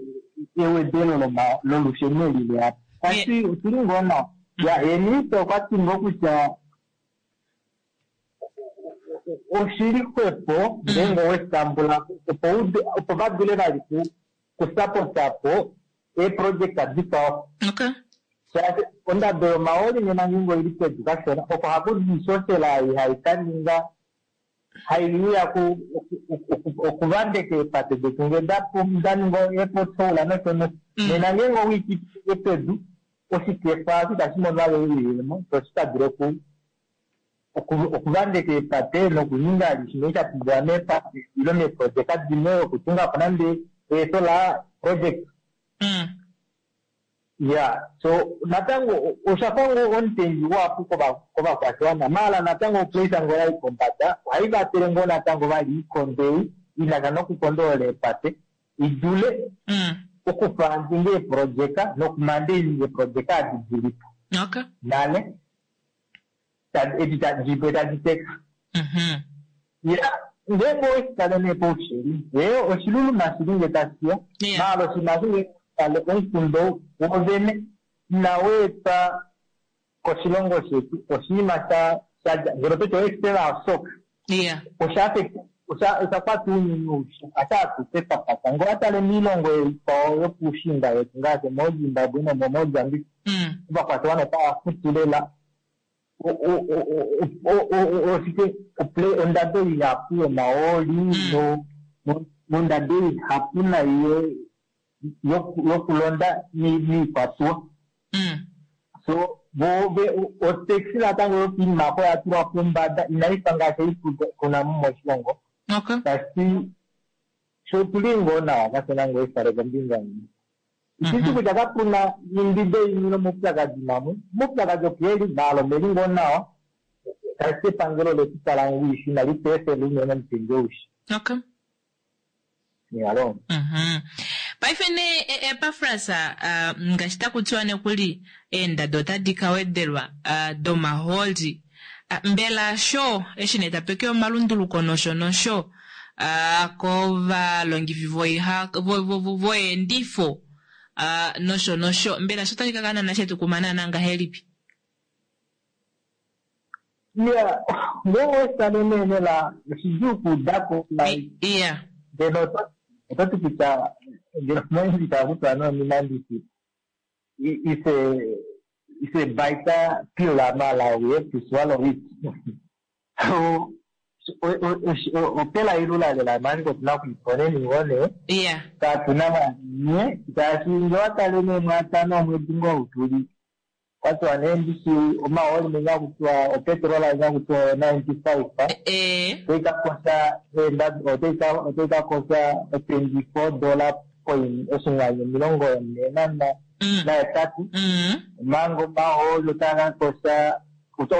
ewedelo lolusheno eli leya po. Tashi oshili ngoo nawa. Ya, ye minista okwa ti ngoo kutya oshili xwepo ngeenge owe shi tambula ko opo va dule vali kusapota po eeprojekta dikwao. Shaashi ondado yomahooli nena ngeenge oili pedu kashona, oko haku di oishoshela ei hai ka ninga hai uya okuvandeka eepate detu ngee da ninga eepothole nosho nosho. Nena ngeenge owe i pitike pedu, oshikefa osho itashi mono vali ouyelemo, sho shi ka dule okuvandeka eepate nokuninga alishe shimwe sha pumbiwa meepate ile meeprojeka dimwe okutunga po nande eesolar project. Ya, so natango osha fa ngoo omutengi uhapu kovakwashiwana, maala natango opresa ngoo ya i pombada ohai vatele ngoo natango vali oikondo ei i na sha nokukondolola eepate i dule okufandinga eeprojeka nokumandeininga eeprojeka adi di li po nale edi tadi tadi teka. Ya, ngeenge owe shi tale nee paushili, ee, oshiluluma shili nge tashi ya, maala oshinima eshi ngeenge owe shi tale omukundo wovene inau etwa koshilongo shetu, oshinima sha sha dja, ngeno toti oexternal shock, osha affect, osha osha kwata ounyuni aushe, asha atushe twa kwata. Ngee owa tale moilongo ikwao yopuushiinda wetu ngaashi moZimbabwe nomoMozambique, ovakwashiwana otava futu lela oshike ondado ihapu yomahooli nondado ihapu nai yokulonda miikwatuwa. So vo otaxi natango yokiinima oko oya tulwa pombada inai fa ngaashi ei tuna mo moshilongo. Tashi sho otuli ngoo nawa kashona ngoo efale kombinga imwe. Ititi kutya kapu na imbido imwe nomaupyakadi mamwe. Omaupyakadi opo e li, maala omeli ngoo nawa. Tashi ti epangelo ole tu tala ngwishi inali tu efela unene omutengi oushi. Iyaloo. Paife nee Epafras, ngaashi taku tiwa nokuli eendado otadi ka wedelwa domahooli, mbela sho eshi nee tape ke omalunduluko nosho nosho kovalongifi voyeendifo nosho nosho, mbela sho otashi ka kala naana shetu kuma naana ngahelipi? Iya, ngeenge owe shi tale nee lela oshidjuu okuuda ko like Iya. ngeno oto ti kutya ngeno moyendji tava kutya nee ominandisi it's a it's a bitter pill mala we have to swallow it. So opela ilula lela manje otuna okuiponeni ngoo nee. Iya. Katuna vali nye shaashi nge owa tale nee mwaatano omwedi ngoo ou tuli Kwa tiwa nee ndishi omahooli menya haku tiwa opetrol inya haku tiwa 95 otai ka kosha eendado otai ka otai ka kosha 24 dollar point oshinghwanyu 48 omanga omahooli otaa ka kosha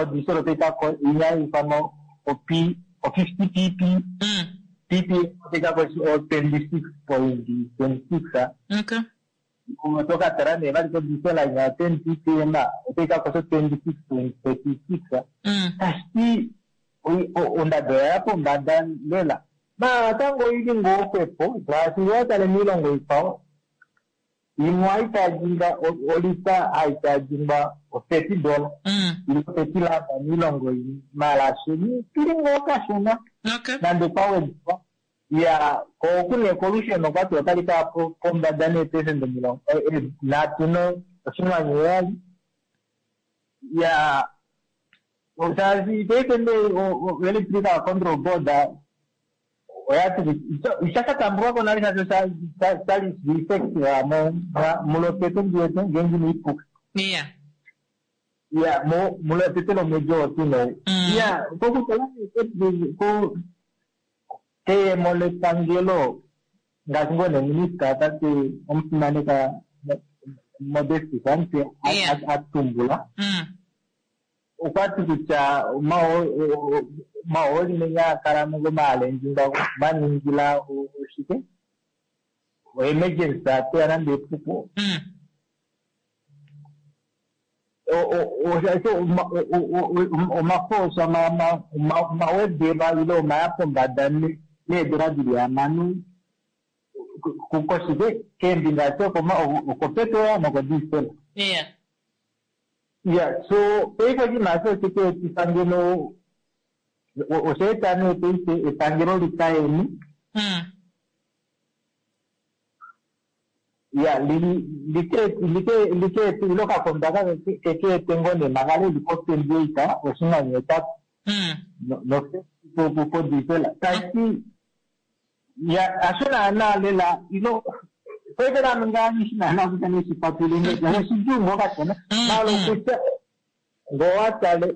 odiesel otai ka inya ifanwa op o 50 pp pp otai ka kosha o 26.26 Oto ka tala nee vali kodiesel inya yo 10 ppm otai ka kosha 26.36 tashi ti ondado oya ya pombada lela. Maala natango oili ngoo xwepo shaashi ngee owa tale moilongo ikwao. Imwe ohayi tyaadjingwa olita hayi tyaadjingwa o 30 dollar ile 30 rand miilongo yimwe maala sheni tuli ngoo kashona nande kwa wedwa ya ko oku nee kolusheno okwati otali kaya pombada neepesenda 37.7 ya shaashi paife nee o-electrical control board oyati isha ka tambulwako nale shaashi oshali effective mulotete ndiwete ngeenge inaipuka. Ya mulotete lomwedi oo tuu nou. Ya kokutala nee keyemo lepangelo ngaashi ngoo nee minista tate omufimaneka Modestus Amutse a tumbula okwati kutya omahooli menya a kala ngomaalendji ngaho maningila oshike oemergency ateya nande epuko omafoosa omawedelwa ile omaya pombada needula dili hamano koshike keembinga ati okopetrol nokodiesel. Ya so paife oshinima eshi oshe tu etifa ngeno osha eta nee paife epangelo likayeni ya like ile okakonda keke ete ngoo nee manga leli po 28 oshinano 8 no podiesel tashi ya hasho naana lela ilo paife naame ngaa nghishi naana kutya neshifatulule oshidjuu ngoo kashona maala okutya ngoo wa tale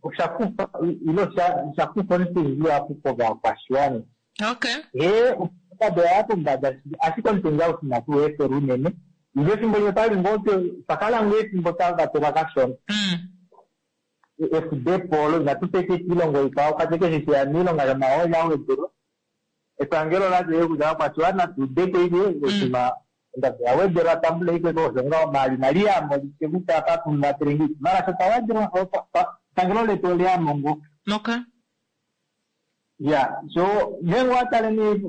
osha kufa ile osha kufa omutengi uhapu kovakwashiwana. Hee ondado oya ya pombada shili ashike omutengi aushi inatu u efela unene ile efimbo limwe otwali ngoo twa kala ngoo efimbo twa vatelwa kashona efudepo olo inatu peka kiilongo ikwao kwati keshe sheya miilonga shomahooli a wedelwa epangelo ola ti kutya ovakwashiwana tuudeko ike oshinima ondado oya wedelwa tambulei ko osho ngaho maala inali yamo litye kutya apa tumuvatele ngeipi maala sho tawedelwa epangelo letu oleyamo ngoo. Ya so ngeenge owa tale nee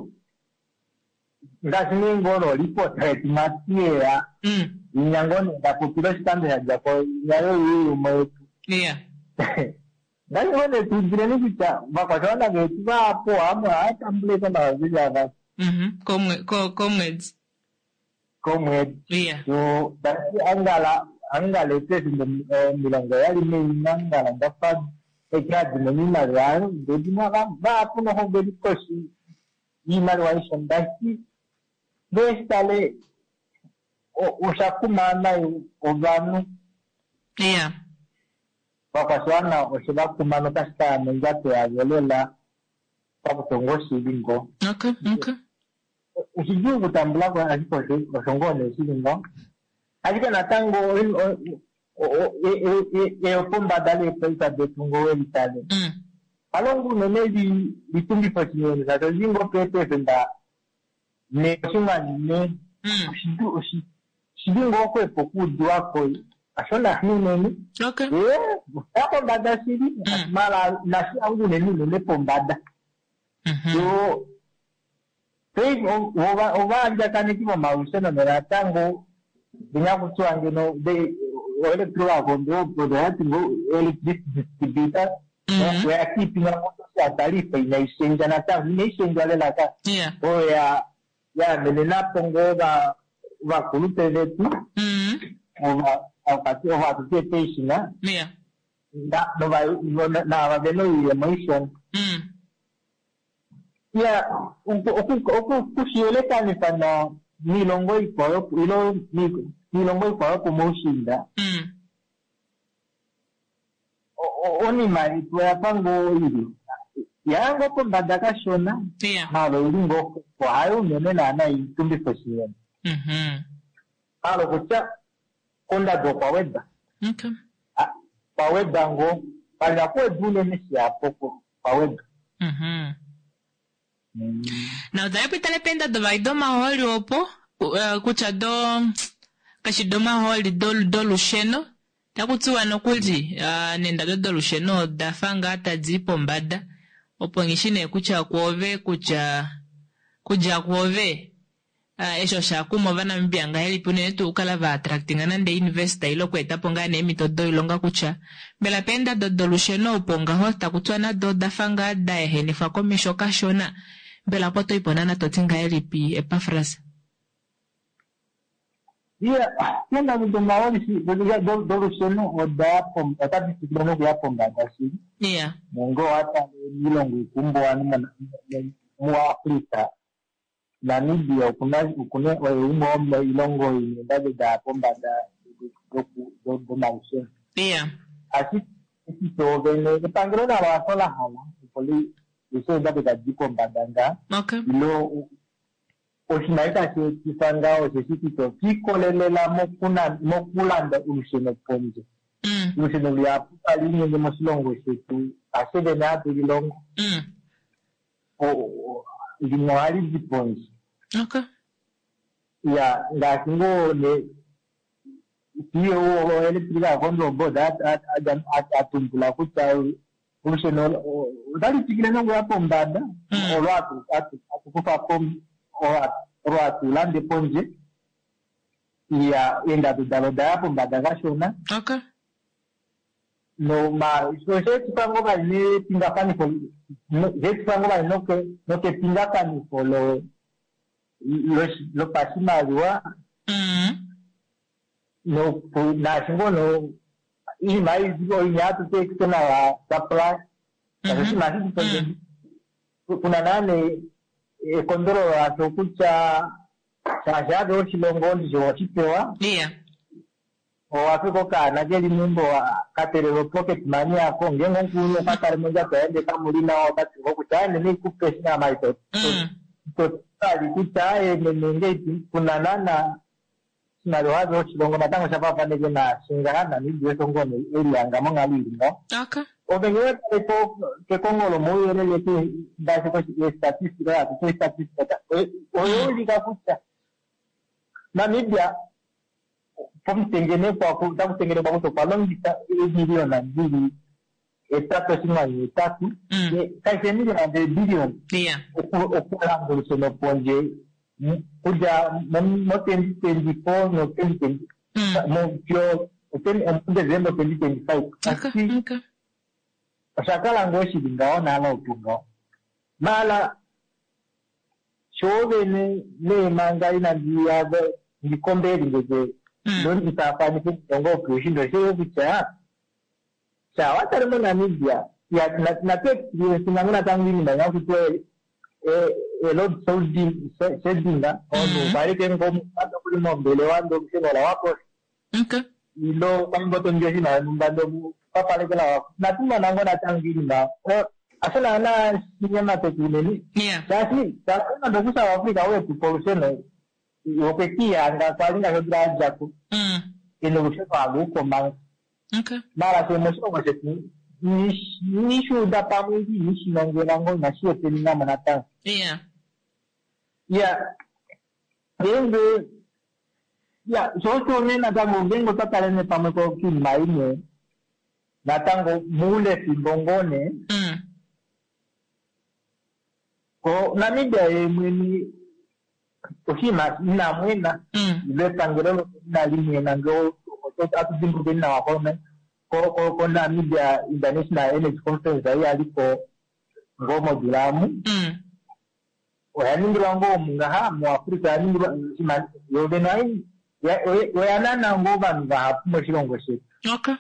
ngaashi nee ngoo nolipota yetu matiyeya inya ngoo nee nda popile oshikando sha dja ko inya yoyuuyumo yetu ngaashi ngoo nee tuudileni kutya ovakwashiwana vetu vahapu ohava tambula ashike omayovi avali komwedi komwedi so tashi angala angala eepesenda 71 angala ndafa eke hadi mono oimaliwa yayo ndee dimwe vahapu noho veli koshi yoimaliwa aishe ndati ngee shitale osha kuma nai ovanhu vakwashiwana oshe vakuma notashi kaya mondjato yavo lela pakutonga oshili ngoo. Oshidjuu okutambula ko ashike osho ngoo nee shili ngaho. Ashike natango eyopombada leeprisa detu ngoo we litale kalongo unene litungife oshinene shaashi oshili ngoo peepesenda 4.4 oshili ngoo xwepo okuudiwako hasho naana unene. Osha pombada shili maala inashi ya unene unene pombada. So paife ovaandjakaneki vomalusheno natango vinyakutiwa ngeno oelectrical control board oyati ngoo electricity distributor oya keepinga ngoo tarifa inai shendja natango inai shendjwa lela ka oyo ya yamenenapo ngoo ovakulupe vetu ova hatu ti eepensiona naava vena oiyemo ishona. Ya okushiyelekanifa niilongo ikwao ilo niilongo ikwao yopomaushiinda onima yetu oyafa ngoo ili yaya ngoo pombada kashona maala oili ngoo hayo unene naana itungife oshinene maala okutya kondado okwa weda kwa weda ngoo pali nakuweda unene shihapu kwa weda. Na otali pitale peendado vali domahooli opo kutya do kashi domahooli dolusheno taku tiwa nokuli neendado dolusheno oda fa ngaa tadi i pombada opo nghishi nee kutya kwoove kutya kudja kwoove. Eshi osha kuma Ovanamibia ngahelipi unene tuu okukala va attractinga nande investor ile okweeta po ngaa nee eemhito doilonga kutya mbela peendado dolusheno opo ngaho taku tiwa nado oda fa ngaa da ehenifwa komesho kashona, mbela opo to i po naana to ti ngahelipi Epafras? Iya, eendado domahooli dolusheno oda ya otadi tsikile nokuya pombada shili. Iya. Nonge owa tale miilongo iikumbuwanhu muAfrica, Namibia okuna okuna oye umwe womoilongo ina eendado daya pombada domalusheno. Iya. Ashike eshi shoovene epangelo nalo hasho la hala opo li eshi eendado tadi i pombada ngaa. Okay. Ile oshinima itashi etifa ngaho osheshi kutya osha ikolelela mokulanda olusheno pondje. Olusheno luhapu tali linyenge moshilongo shetu hasho vene hatu lilongo. Limwe ohali di pondje. Okay. Ya, ngaashi ngoo ne CEO woElectrical Control Board a tumbula kutya olusheno otali tsikile nokuya pombada olo hatu kufa po olo hatu lande pondje. Iya, eendado dalo oda ya pombada kashona. Okay. No, ma, sho osha etifa ngoo vali nepingafanifo, no, osha etifa ngoo vali noke, nokepingafanifo lo, lo, lopashimaliwa. Noku, naashi ngoo no, iinima ei, oinima hatu ti external supply, ngaashi oshinima hashi di pondje, kuna naa nee ekondololo lasho kutya shaashi ave oshilongo ndishi oweshi pewa. Iya. Owa fika okaana ke li meumbo ka telelwa pocket money yako, ngeenge omukulunhu okwa tale mondjato yaye ndee kamu li nawa, ota ti ngoo kutya aye meme ikupe eshi naama ito ito vali kutya aye meme ngeipi kuna naana oshimaliwa ave oshilongo natango sha faafaneke naashi ngaha Namibia osho ngoo nee e lihanga monghalo ili ngaho. Okay. Ove ngee wa tale ko kekongo lomauyelele ke ngaashi kostatistika hatu ti ostatistika oya ulika kutya Namibia pomutengenekwa otaku tengenekwa kutya okwa longitha eemiliyona di li 8.8, kai fi eemiliyona ndele eebiliyona, okulanda olusheno pondje kudja mo 2024 no 2020 fiyo muDesemba 2025. Ashike osha kala ngoo shi li ngaho nale opo ngaho. Maala Sho vene nee manga inandi ya ndi kombeeli ngeke ndo ndi faafanife niilongo yopuushiinda osho yo kutya shaa wa tale moNamibia ya natu experience ngango natango iinima imwe haku tiwa e-load shedding omunhu okwa li ngoo nokuli mombelewa ndee olusheno ola wako ile okwa li ngoo to ningi oshinima shonhumba ndee papalekela wako. Inatu mona ngoo natango iinima hasho naana shinyemateka unene shaashi nande okuSouth Africa ou etu pa olusheno okwe kiihanga kwali ngaashi odula ya dja ko ena olusheno halu uko manga. Maala fyee moshilongo shetu inishi uda pamwe ile inishi nongela ngoo inashi hepenina mo natango. Iya, ngeenge ya sho osho nee natango ngeenge otwa tale nee pamwe koinima imwe natango moule fimbo ngoo nee ko Namibia ye mwene oshinima ina mwena ile epangelo lo inali mwena ngee ohatu dimbulukeni nawa ko ko Namibia International Energy Conference ei yali ko ngoo modula amu oya ningilwa ngoo omu ngaha muAfrica oya ningilwa yo vene oya nana ngoo ovanhu vahapu moshilongo shetu. Okay.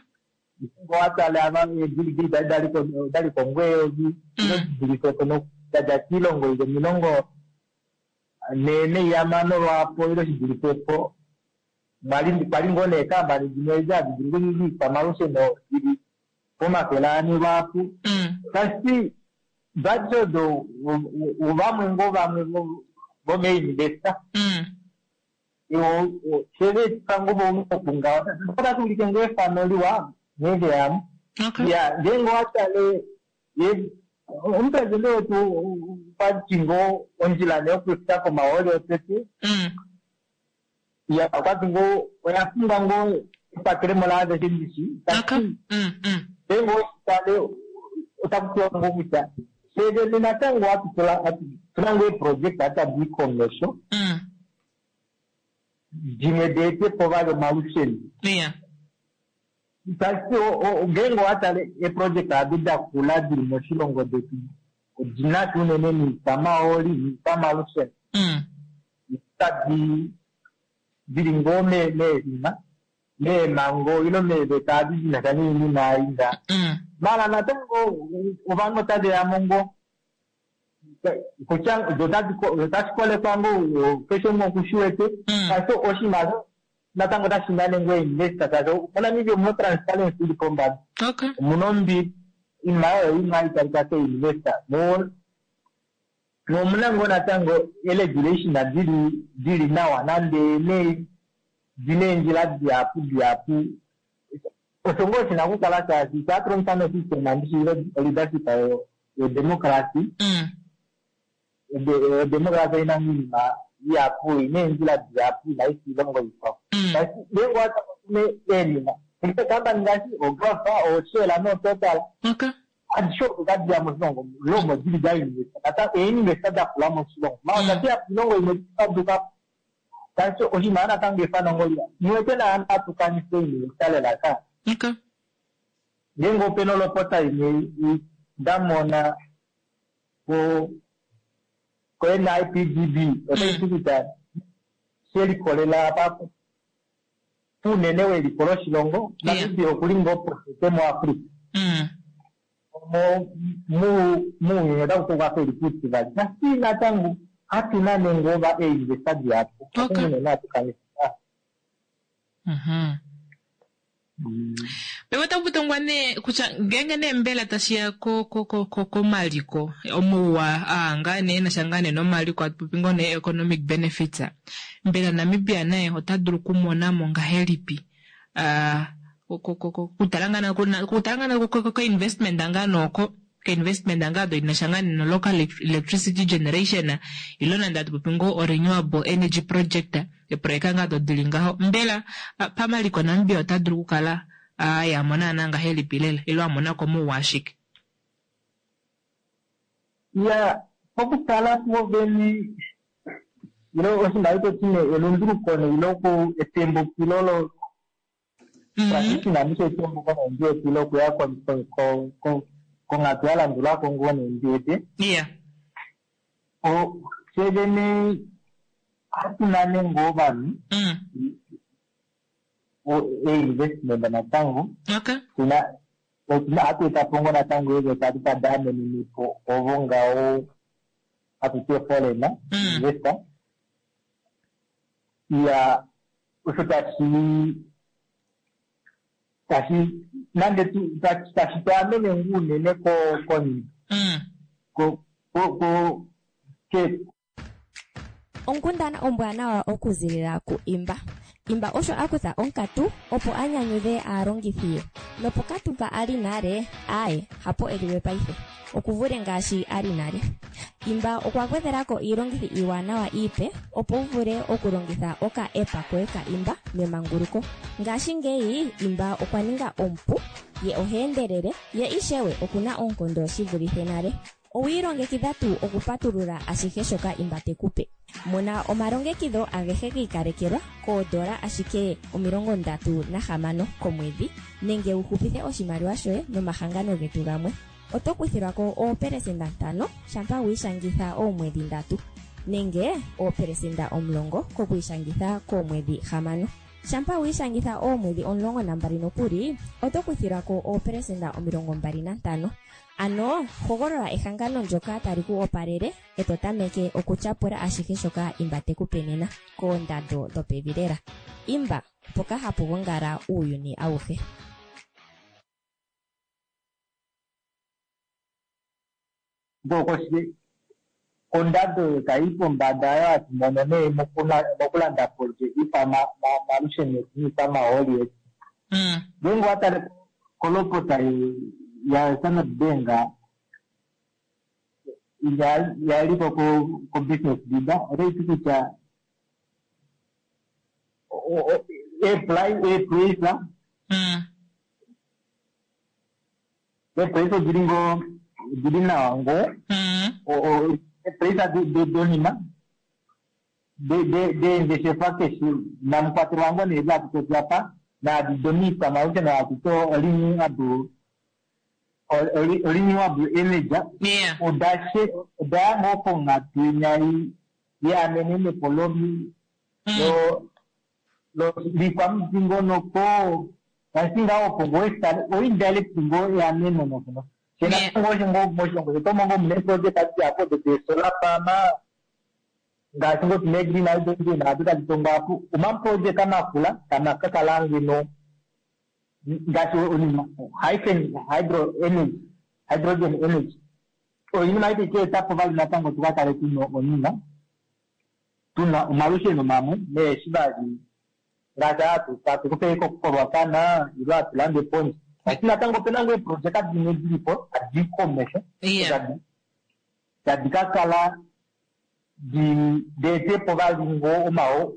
Ngoo wa tale ava eeBill Gates odali ko ngoo eyovi ile di dulife po da dja kiilongo ili 45 lwaapo ile shi dulife po. Kwali ngoo neekampani dimwe edi hadi dulu okuninga oikwamalusheno dili po400 lwaapo. Tashi ti vati odo ovamwe ngoo vamwe vomeinvesta. Sheve ngoo vokungaho otashi ulike ngoo efano liwa nghee veyamo. Ya ngeenge owa tale omupresidente wetu okwa ti ngoo ondjila nee yokufika komahooli otete. Ya okwa ti ngoo oya fingwa ngoo epatelemo laaveshe ndishi. Ngeenge oweshi tale otaku tiwa ngoo kutya shevene natango otuna ngoo eeproject tadi i komesho. Dimwe deete po vali omalusheno. Tashi ngeenge owa tale eeprojeka adi da kula dili moshilongo detu odina sha unene noikwamahooli noikwamalusheno. Tadi dili ngoo meenima meemhango ile meeveta adi dina sha noinima ei nga. Maala natango ovanhu otave ya mo ngoo kutya otashi kolekwa ngoo keshe umwe okushi wete ashike oshinima osho natango otashi nane ngoo investor shaashi moNamibia omuna transparency ili pombada. Omuna ombili oinima oyo imwe hai talika kee-investor nomuna ngoo natango e-regulation dili nawa nande nee dina eendjila dihapu dihapu osho ngoo shina okukala shaashi sha hatu longifa nosystem ndishi leadership yodemocracy. Odemocracy oina oinima ihapu ina eendjila dihapu inai fa oilongo ikwao. Ngeenge owa tale eenima eekampani ngaashi oGulf, oShell nooTotal adishe odo tadi ya moshilongo lomo dili da investa natango einvesta da kula moshilongo maala tadi ya koilongo imwe faduka tashi oshinima natango efano ngoo liwa niwete naana hatu kanifa einvesta lela ka. Ngeenge opena olopota imwe nda mona ko NIPDB otai ti kutya shelikolela apa puunene weliko loshilongo Namibia okuli ngoo potete muAfrica. Muuyuni otaku ti okwafa eli puutivali nasi natango hatuna nenge ova einvesta dihapu unene hatu kanifa. Paife otaku tongwa nee kutya ngeenge nee mbela tashi ya komaliko omauwa aa ngaa nee enasha ngaa nee nomaliko hatu popi ngoo nee economic benefits, mbela Namibia naye ota dulu okumona mo ngahelipi okutala ngaa koinvestment ngaa nooko koinvestment ngaa odo inasha ngaa no local electricity generation ilo nande hatu popi ngoo o renewable energy project eeproyeka ngaa odo dili ngaho mbela pamaliko Namibia ota dulu okukala a mona naana ngahelipi lela ilo a mona ko mouwa ashike? Ya pokutala kuovene ilo oshinima ito ti nee elunduluko ilo etembukilo lo transition andishe etembuko nee ndiwete ile okuya konghatu ya landulako ngoo nee ndiwete. Fye vene hatu nane ngoo ovanhu einvestment natango hatu eta po ngoo natango eeveta adi tadi amenene po ovo ngaho hatu ti foreign investor. Ya osho tashi tashi nande tashi tu amene ngoo unene ko ko ke Onkundana ombwanawa okuzilila ku Imba. Imba osho a kutha onkatu opo a nyanyudhe aalongithi ye. Nopokatu mpa a li nale, aaye, hapo e li we paife. Oku vule ngaashi a li nale. Imba okwa gwedhela ko iilongithi iiwanawa iipe opo wu vule okulongitha oka app koye ka Imba memanguluko. Ngashingeyi Imba okwa ninga omupu, ye oha endelele, ye ishewe oku na oonkondo shi vulithe nale. Owi ilongekidha tuu okupatulula ashihe shoka Imba te ku pe? Mona omalongekidho agehe gi ikalekelwa koodola ashike 36 komwedhi nenge wu hupithe oshimaliwa shoye nomahangano getu gamwe. Oto kuthilwa ko oopelesenda 5 shampa wi ishangitha oomwedhi ndatu nenge oopelesenda 10 kokwiishangitha koomwedhi 6. Shampa wi ishangitha oomwedhi 12 nokuli, oto kuthilwa ko oopelesenda 25. Ano hogolola ehangano ndyoka tali ku opalele e to tameke okutyapula ashihe shoka Imba te ku pe nena, koondando dhopevi lela. Imba, mpoka hapu gongala uuyuni awuhe. Ondando oyo tayi yi pombada oyo hatu mono nee mokulanda pondje iikwamalusheno yetu niikwamahooli yetu. Ngeenge owa tale kolopota ya Standard Bank ya liko ko Business Leader otayi ti kutya eeprice eeprice odili ngoo odili nawa ngoo eeprice donima. Deengeshefa keshe namukwatelwa ngoo nee hatu popi apa naadi domiikwamalusheno hatu ti renewable energy odaya ngoo ponghatu inya yeamenenepo liikwamudingonoko tashi ngaho opo ngoo eshitale oindirect ngoo eameno nokuno shenatango osho ngoo moshilongo shetu omo ngoo muna eeprojeka dihapu odo deesolar farm ngaashi ngoo tuna egreen hydrogen ado tadi tongwa apo omaprojeka makula tama ka kala ngeno ngaashi onima hyphen hydro energy hydrogen energy oinima ei tai ka etapo vali natango tu ka kale tuna onima tuna omalusheno mamwe neeshi vali ngaashi hatu tatu kufa koRuacana ile hatu lande pondje ashike natango opena ngoo eeprojeka dimwe dilipo tadi komesho tadi ka kala deetepo vali ngoo omao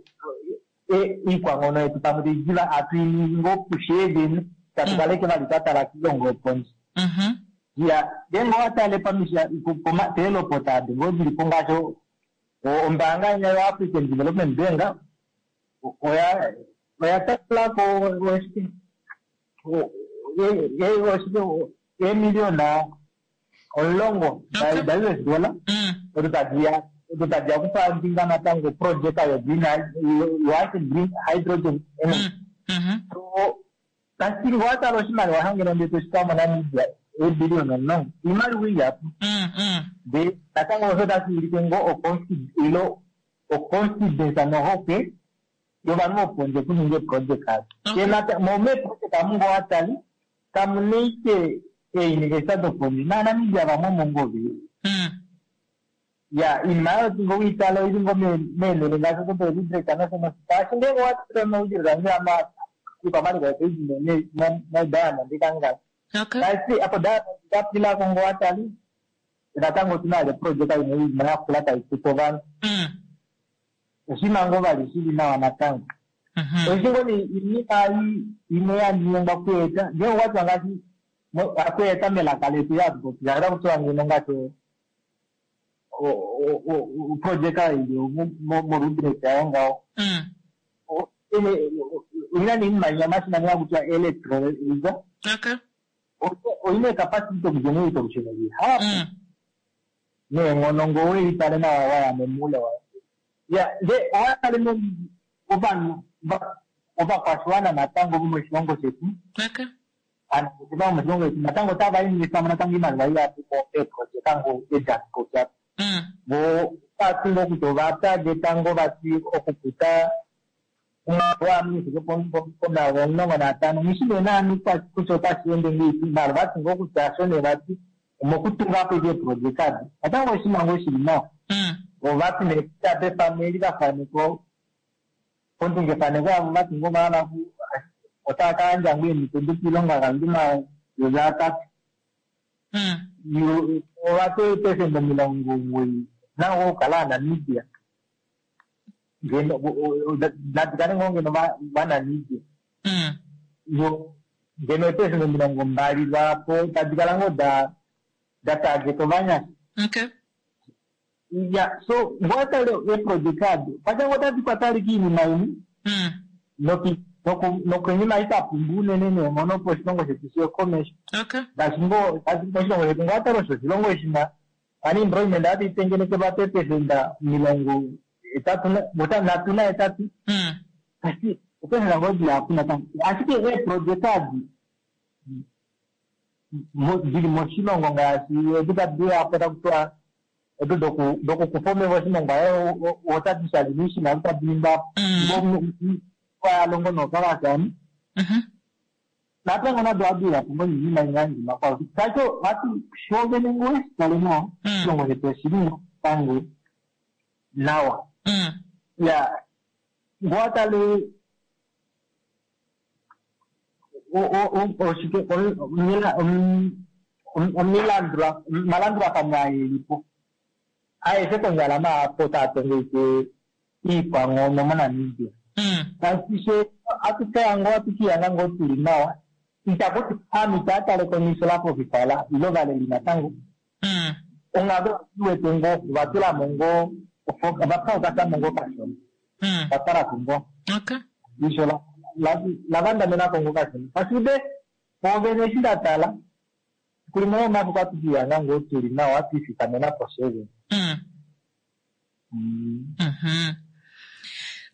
iikwanghono yetu pamwe taidiva hatu iningi ngoo kusheevene tatu kaleke vali twatala kiilongo yopondje. Ya ngeenge owatale peelopota ado ngoo dilipo ngaashi ombaanga inya yo-African Development Bank oya talako eemiliyona 10 da-US dollar odo tadiya odo tadiya okufandinga natango oprojeka yo-green green hydrogen energy. So tashi ngoo watala oshimaliwa shangeno ndee toshitwa moNamibia eebiliyona 10 iimaliwa ihapu ndee natango osho tashi ulike ngoo ilo oconfidence nohokwe yovanhu vopondje okuninga eeprojeka ado. Mo meeprojeka omu ngoo watali kamuna ashike eeuniversity dopondje naaNamibia vamwe omo ngoo veli. Ya iinima oyo ngoo wiitala oili ngoo meenhele ngaashi odo doRudrek nosho nosho shaashi ngeenge owatale omaudilo ange iikwamaliko yetu modiamond ikangala tashi apo diamond ikapilako ngoo watali natango otuna vali oprojeka imwe iinima yakula taikutu ovanhu oshinima ngoo vali shili nawa natango. Oishi ngoo nee iinima imwe yaningwa okueta ngeenge okwatiwa ngaashi akueta melaka letu yatupopi otakutiwa ngeno ngaashi oprojeka ili moRudrek yayo ngaho oina neinima imwe omashina nga hakutiwa electrolyzer oina ecapacity okugenerate olusheno lihapu neenghono ngoo welitale nawa waya momuule wayo. Ya ndee owatale ovanhu ovakwashiwana natango vomoshilongo shetu aanangeshefa vomoshilongo shetu natango otava investamo natango iimaliwa ihapu meeprojeka ngoo edi hatu popi apa. Voo otavati ngoo kutya ova targeta ngoo vati okukuta omwaalu wovanhu ufike pomayovi 15 nghishi nee naani kutya otashi ende ngahelipi maala ovati ngoo kutya osho nee vati omokutungapo ashike eeprojeka ado natango oshinima ngoo shili nawa. Ovati nee kutya pefano eli vafanekwa pondungefaneko yavo vati ngoo ovahala otava ka yandja ngoo eemhito doilonga kovanhu 3000. Ovati eepesenda 90 nangoo okukala aaNamibia ngeno nadi kale ngoo ngeno vaNamibia yo ngeno eepesenda 20 lwaapo tadi kala ngoo da target ovanyasha. Ya so ngoo watale eeprojeka ado patya ngoo otadi kwata alike iinima imwe nokonima itapumba unene neenghono opo oshilongo shetu shiye komesho ngaashi ngoo moshilongo shetu ngoo watale osho oshilongo shina unemployment ohatu itengenekelwa peepesenda 38 ashike opesenda ngoo dihapu natango ashike eeprojeka adi dili moshilongo ngaashi edi tadi apo takutiwa odo dokukufa omeva oshilongo aye otadi shali miishina tadi ningwa yalongo nookalasani natango nado ohadi uyapo ngoo niinima imwe yaningwa kwao tacho vati shoovene ngoo weshitale nawa oshilongo shetu oshili ngoo natango nawa. Ya ngoo watale oshike omalandulafano aelipo aeshe konyala maapo taatongo iikwanghono moNamibia. Tashi she atukaya ngoo atukiyanga ngoo tuli nawa itakuti ovanhu itaatale komisho lafofifala ile ovaleli natango onghalo iwete ngoo ovatulamo ngoo ovafokasamo ngoo kashona. La tala ko ngoo. Eisho la vandamena ko ngoo kashona. Ashike pwoovene eshi nda tala, efiku limwe lomomafiku ohatu ke lihanga ngoo tu li nawa, twe lifikamena po fye vene.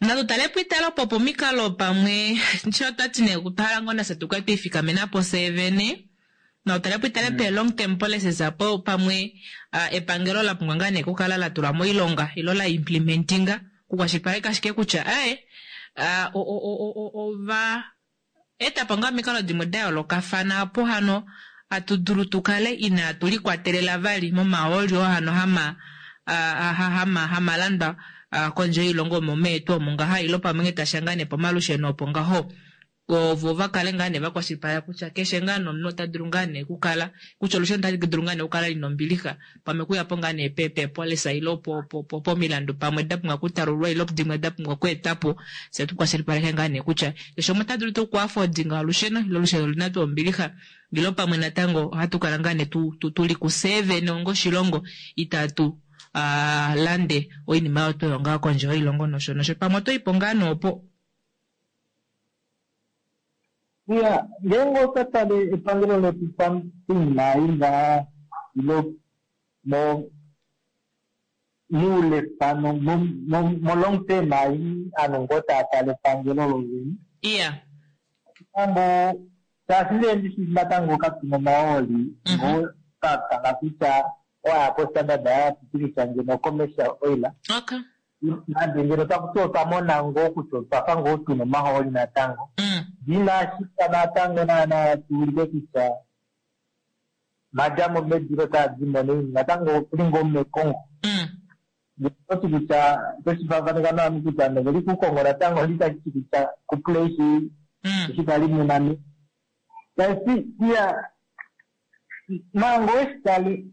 Natu tale po itale opo pomikalo pamwe sho twati nee otwa hala ngoo nafye tukale twiifikamena po fyee vene. Natu tale po itale pee long term policies apo pamwe epangelo la pumbwa ngaa nee okukala la tula moilonga ilo la implementinga okukwashilipaleka ashike kutya aaye ova eta po ngaa omikalo dimwe da yoolokafana opo hano hatu dulu tu kale inaatu likwatelela vali momahooli oo hano hama hama hamalandwa kondje yoilongo omo meetu omo ngaha ilo pamwe ngee tasha ngaa nee pomalusheno opo ngaho ovo va kale ngaa nee va kwashilipaleka kutya keshe ngaa nomunhu ota dulu ngaa nee okukala kutya olusheno otali dulu ngaa nee okukala lina ombilixa pamwe okuya po ngaa nee peepolisa ile pomilandu pamwe da pumbwa okutalululwa ile dimwe da pumbwa okweetwa po, fye tu kwashilipaleke ngaa nee kutya keshe umwe ota dulu tuu okuafodinga olusheno ile olusheno olina tuu ombilixa ile pamwe natango ohatu kala ngaa nee tu li kufye vene onga oshilongo itatu lande oinima oyo twa longa kondje yoilongo nosho nosho. Pamwe oto i po ngaa nee opo. Iya, ngeenge otwa tale epangelo letu poinima ei ngaha ilo mo moule pano mo long term ei ovanhu ngoo tava tale epangelo lovene. Iya. Natango shaashi nee ndishi natango katu na omahooli ngoo twa tala kutya owa ya koStandard ya pitilila ngeno commercial oil. Okay. Nande ngeno taku ti otwa mona ngoo kutya otwa fa ngoo tu na omahooli natango, inashi fa natango naana tu ulike kutya madja mo medu ilo taa di mo naini, natango otu li ngoo mekongo. Ngeno oto ti kutya oto shi faafaneka novanhu kutya ovanhu ove li kukongo natango, onghee itashi ti kutya kupuleishi eshi kwali mu na me. Tashi ti, iya, manga owe shi tale,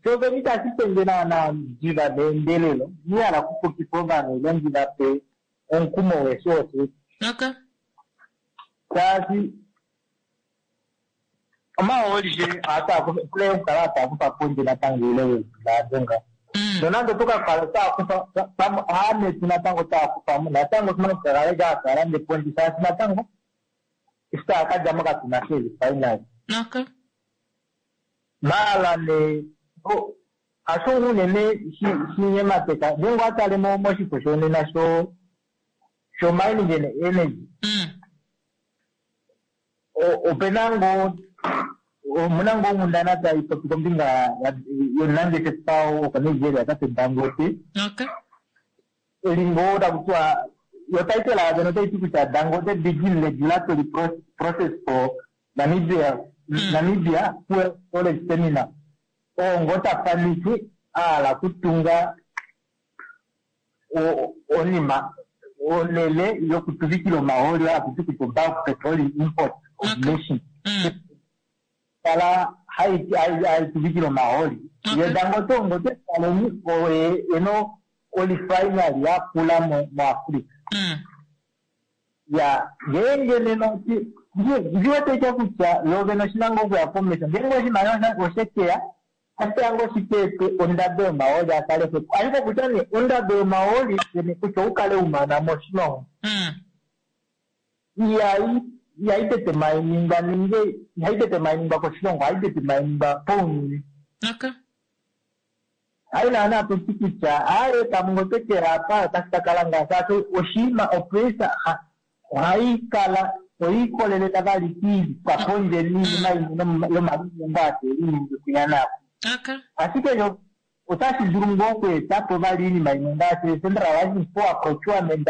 Sho vene itashi pe nge naanaa diva neendelelo, inandi hala okupukifa ovanhu ile ndi va pe omukumo weshi oshe. Okay. Shaashi omahooli she ohatu a kufa, pule okukala hatu a kufa pondje natango oule weedula ado ngaho. Nonande oto ka kala to a kufa, pamwe aametu natango to a kufa mo, natango otu na okukala hatu a lande pondje shaashi natango eshi taa ka dja mo katu na sha eerefinery. Okay. Maala nee, hasho unene shi nyemateka ngeenge owa tale moshifo shonena sho sho mining and energy ope na ngoo omuna ngoo onghundana tai popi kombinga yomunangeshefa wokoNigeria tate Dangote. Okay. Eli ngoo taku tiwa yo title yayo otai ti kutya Dangote begin regulatory process for Namibia Namibia Fuel Storage Terminal oo ngoo ta faneke a hala okutunga onima onhele yokutuvikila omahooli oyo haku ti kutya obulk petroleum import origination kala hai tuvikile omahooli. Ye Dangote oo ngoo twetaleni oye ena orefinery yakula moAfrica. Ya, ngeenge nena nghi wete ashike kutya lo vene oshi na ngoo okuya komesho. Ngeenge oshimaliwa oshe ke ya, otashi ke ya ngoo shi ka ete ondado yomahooli a kale xwepo. Ashike okutya nee ondado yomahooli vene kutya ou kale u mana moshilongo, ihai ihai tete mai ningwa nenge ihai tete mai ningwa koshilongo, ohai tete mai ningwa pounyuni. Okay. Hai naana to ti kutya aaye pamwe ngee otwe ke ya apa otashi ka kala ngaha shaashi oshinima opresa ohai kala oyiikolelela vali kiikwapondje niinima imwe yomalinyengo aa tee linyenge kwinya naakwinya. Ashike yo otashi dulu ngoo okweeta po vali oinima imwe ngaashi centralizing power procurement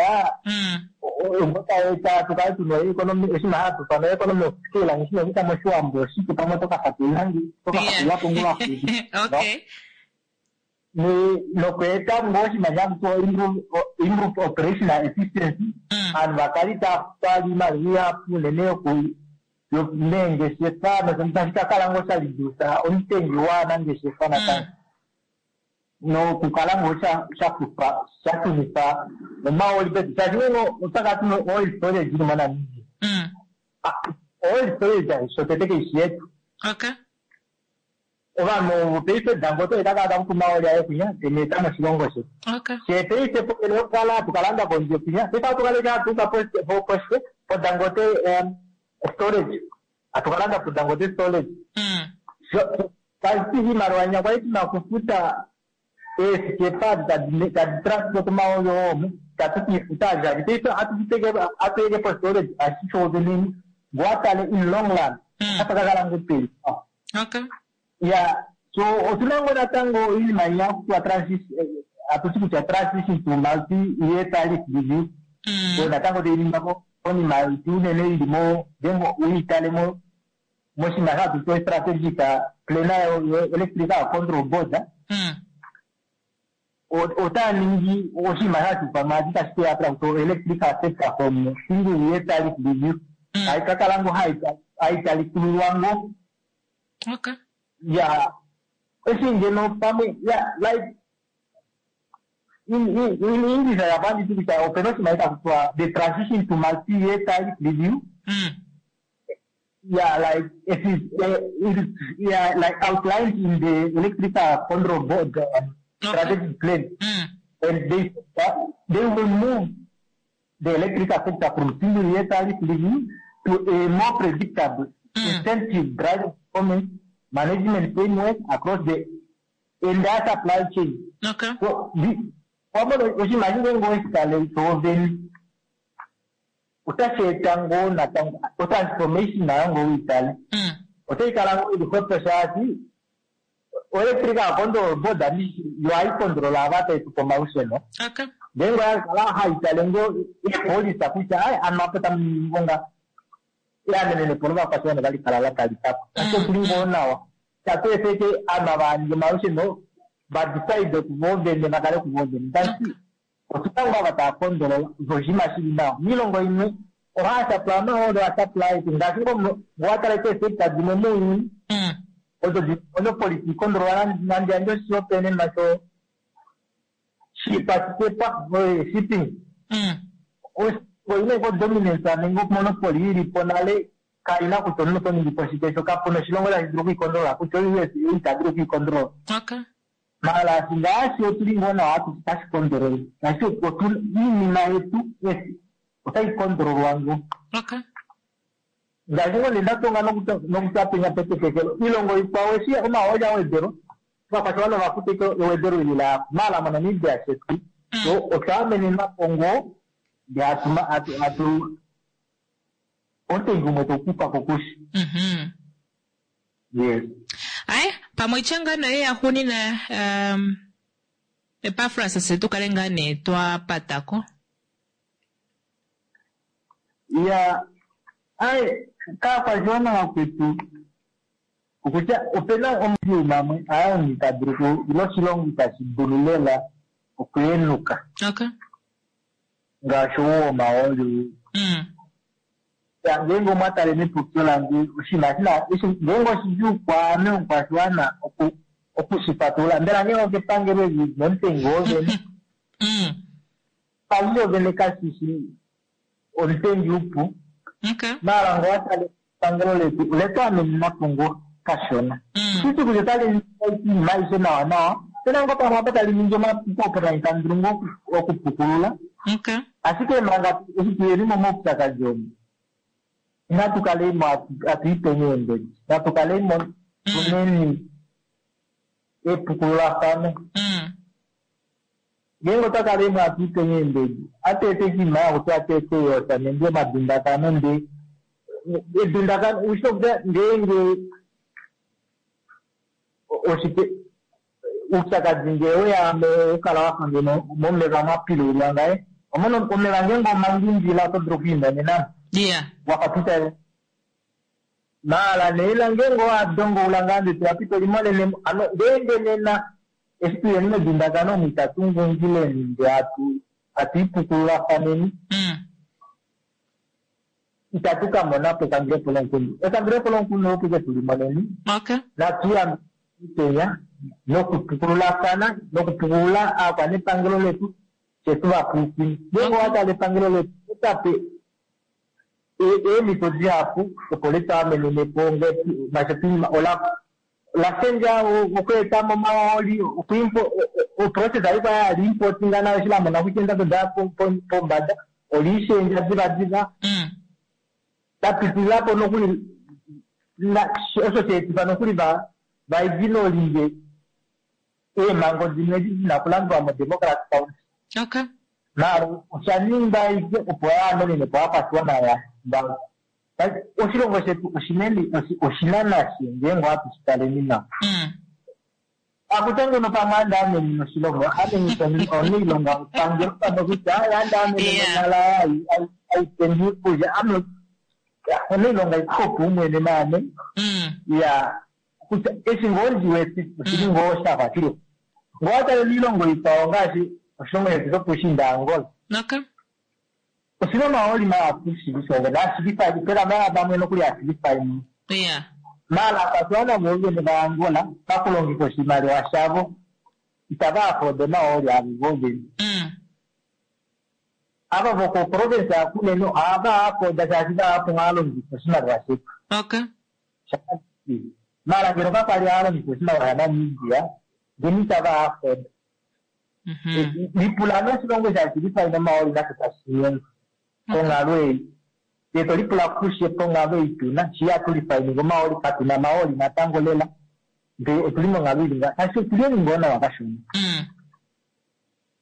ngoo tai eta tu kale tuna oeconomy oshinima hatu ifana economy of scale nghi shina kutya moshiwambo oshike pamwe oto ka fatulula nge oto ka fatulula po ngoo vaxupi. Okay. Nokweeta ngoo oshinima haku tiwa improve operational efficiency ovanhu va kale itava futwa vali oimaliwa ihapu unene yoku meengeshefa nosho tashi ka kala ngoo sha reduce omutengi waanangeshefa natango nokukala ngoo sha kufa sha shunifa omahooli pedu shaashi ngenge otwa kala tuna oil storage ili moNamibia oil storage shotete kaishi yetu. Okay. Ovanhu ovo paife Dangote oye ta kala ta kufa omahooli aye kwinya te mu eta moshilongo shetu. Fyee paife ponhele yokukala hatu ka landa kondje kwinya, paife ohatu kala ashike hatu uka poshike poDangote storage, hatu ka landa poDangote storage. Tashi ti iimaliwa inya kwali tuna okufuta eesikepa edi tadi transport omahooli oo omu, itatu ke i futa vali shaashi paife ohatu hatu i ashike postorage tashi ti shoovene ngoo wa tale in long run otapa ka kala ngoo peli nawa. Okay. Ya, so otuna ngoo natango oinima inya haku tiwa hatu ti kutya transition to multi year tariff review. So natango tai ningwa konima yetu unene ili mo ngeenge uitale mo moshinima hatu ti strategic plan yo electrical control board. Otaya ningi oshinima hashi ithanwa ati tashi ke ya po electrical sector from single year tariff review. Tayi ka kala ngoo hayi talikululwa ngoo. Okay. Ya, eshi ngeno pamwe ya like in in in English aya panditi kutya opena oshinima taku tiwa the transition to multi year tariff review. Yeah, like it is, it is yeah, like outlined in the electrical control board strategic plan. And they they will move the electrical sector from single year tariff review to a more predictable, incentive driving performance management framework across the entire supply chain. Okay. So, the, oshinima eshi ngeenge oweshi tale shoovene otashi eta ngoo natango otransformation nayo ngoo uitale otai kala ngoo ili xwepo shaashi oelectrical control board yo hai controla ava tai tupe omalusheno. Okay. Ngeenge oya kala hai tale ngoo eepolisa kutya ai ano apa otamu ningi ngoo nga eamenene po lovakwashiwana otali kala la talika ko. Ashike oshili ngoo nawa itatu efa ashike ovanhu ava hava ningi omalusheno va decide kuvo vene va kale kuvo vene. Tashi Otuna ngoo ava tava kondolola osho oshinima shili nawa. Moilongo imwe ohaya supply omahooli oha supply aishe ngaashi ngoo ngee owa tala ashike eesector dimwe mounyuni odo di monopoly di kondolola nande yandje oshihopaenenwa sho shipasikepa shipping. Oilongo ina dominance nenge monopoly ilipo nale kaina kutya omunhu oto ningi po shike sho kapuna oshilongo tashi dulu okwiikondolola kutya o-US ita dulu okwiikondolola. Okay. Mara ngaashi otu li ngoo nawa hatu tashi kondololwa ngaashi otu iinima yetu otai kondololwa ngoo. Okay. Ngaashi ngoo nee nda tonga nokutya penya petetekelo oilongo ikwao eshi omahooli a wedelwa ovakwashiwana ova futa ashike ewedelo eli la mala moNamibia shetu so otwa amenenwa po ngoo ndee hatu hatu hatu omutengi umwe tau kufa ko kushi. Yes. Aye, pamwe itya ngaa noye yaxuunina Epafras fye tu kale ngaa nee twa pata ko. Ya, aye, kaakwashiwana vakwetu, okutya opena omaudjuu mamwe aa omunhu ita dulu ku, ile oshilongo itashi dulu lela okuhenuka. Okay. Ngaashi ou womahooli ou. Ya, ngeenge omwa tale mepopyo lange, oshinima eshi na, eshi, ngeenge oshidjuu kwaame omukwashiwana oku, oku shi fatulula, mbela ngeenge okepangelo eli nomutengi wovene, epangelo vene kashi shi omutengi upu. Okay. Maala ngee owa tale epangelo letu, ole tu amenena po ngoo kashona. Oshili tuu kutya otali ningi oinima aishe nawanawa, ope na ngoo pamwe apa tali ningi omapuko opo nai tamu dulu ngoo okupukulula. Okay. Ashike manga eshi tuyeni momaupyakadi omu, inatu kaleni mo hatu ipeni eembedi. Natu kaleni mo tuneni epukululafano. Ngeenge otwa kaleni mo hatu ipeni eembedi, ohatu eta oshinima haku tiwa hatu eta eeyosa nenge omadundakano ndee edundakano ushi nokutya ngeenge oshike oupyakadi ngee weya okala wafa ngeno momeva mwa pilulwa ngaye omona omeva ngeenge omangingila oto dulu okwiimonenamo Yeah. wafa pita maala neila ngeenge owa dongoula ngaa ndee toya pita olimonenemo ano ngeenge nena eshi tuyeni medundakano omu itatu ngungileni ndee hatu hatu ipukululafaneni itatu ka mona po ekandulepo lomukundu. Ekandulepo lomukundu opo ike tu limoneni. Okay. Natu yambidideni nokupukululafana nokupukulula aakwanepangelo letu fye tu va pwilikine. Ngeenge owa tale epangelo letu otape eemhito dihapu opo letu amenene po ngaashi ola lashendja okweetamo omahooli oprocess ayi kwa yali importinga nayo eshi lamona kutya eendado daya pombada oliishendja divadiva lapitilila po nokuli osho sheetifa nokuli vaignoringe eemhango dimwe edi dina okulandulwa modemocracy council. Okay. Maala osha ningwa aike opo yaamenene po ovakwashiwana vavo. Oshilongo shetu oshinene oshina nashe ngeenge ohatu shi taleni nawa. Akutya ngeno pamwe ande amenene oshilongo, amenene omunailonga wepangelo pamwe kutya ande amenene onhala aipeni iikulya, ame omunailonga ikopu umwene naame. Ya kutya eshi ngoo ndi wete oshili ngoo shafa shili. Ngoo watale miilongo ikwao ngaashi oshilongo shetu shopuushiinda Angola. Okay. Oshina omahooli mahapu shili shoove naashilifa pena vamwe nokuli ashilifa imwe. Yeah. Maala aakwashiwana voovene vaAngola pakulongifa oshimaliwa shavo itava afode omahooli avo voovene. Ava vokoprovince yaKunene ohava afoda shaashi vahapu hava longifa oshimaliwa shetu. Okay. Maala ngeno kakwali hava longifa oshimaliwa shaNamibia ngeno itava afoda. Lipula noshilongo shaashilifa omahooli nasho tashi nyengwa konghalo ei. Ye to lipula kushe ponghalo ei tuna shi hatu lifainike omahooli katuna omahooli natango lela ndee otuli monghalo ili nga shaashi otuli ngoo nawa kashona.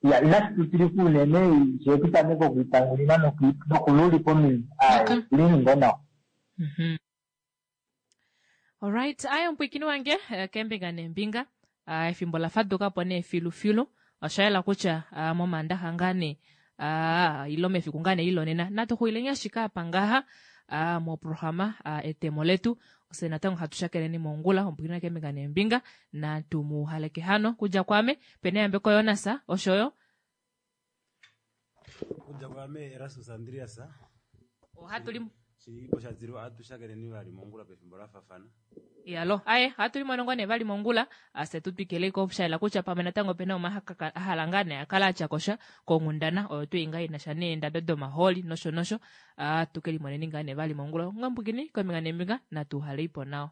Ya inashi tutilika unene shee tutameke okwiitangulila nokululika ominwe aaye otuli ngoo nawa. Alright, aye omupwiikini wange keembinga neembinga efimbo la faduka po nee filufilu. Osha yela kutya momaandaxa ngaa nee ilo mefiku ngaa nee ilonena natu xulileni ashike apa ngaha moprograma etemo letu. Ofye natango hatu shakeneni mongula omupwiikini wange keembinga neembinga natu mu haleke hano kudja kwaame pena yambeko Jonas oshoyo Kudja kwaame Erastus Andreas. Ohatu li Shilipo shadilwa ohatu shakeneni vali mongula pefimbo la fafana. Yalo, aye, ohatu limonongo nee vali mongula, ase tu twikileko shaela kutya pamwe natango opena umwe a hala ngaa nee a kale atya kosha konghundana oyo tuu ngaa inasha neendado domahooli nosho nosho, tu ke limoneni ngaa nee vali mongula. Onga mbukini kombinga neembinga natu uhaleipo nawa.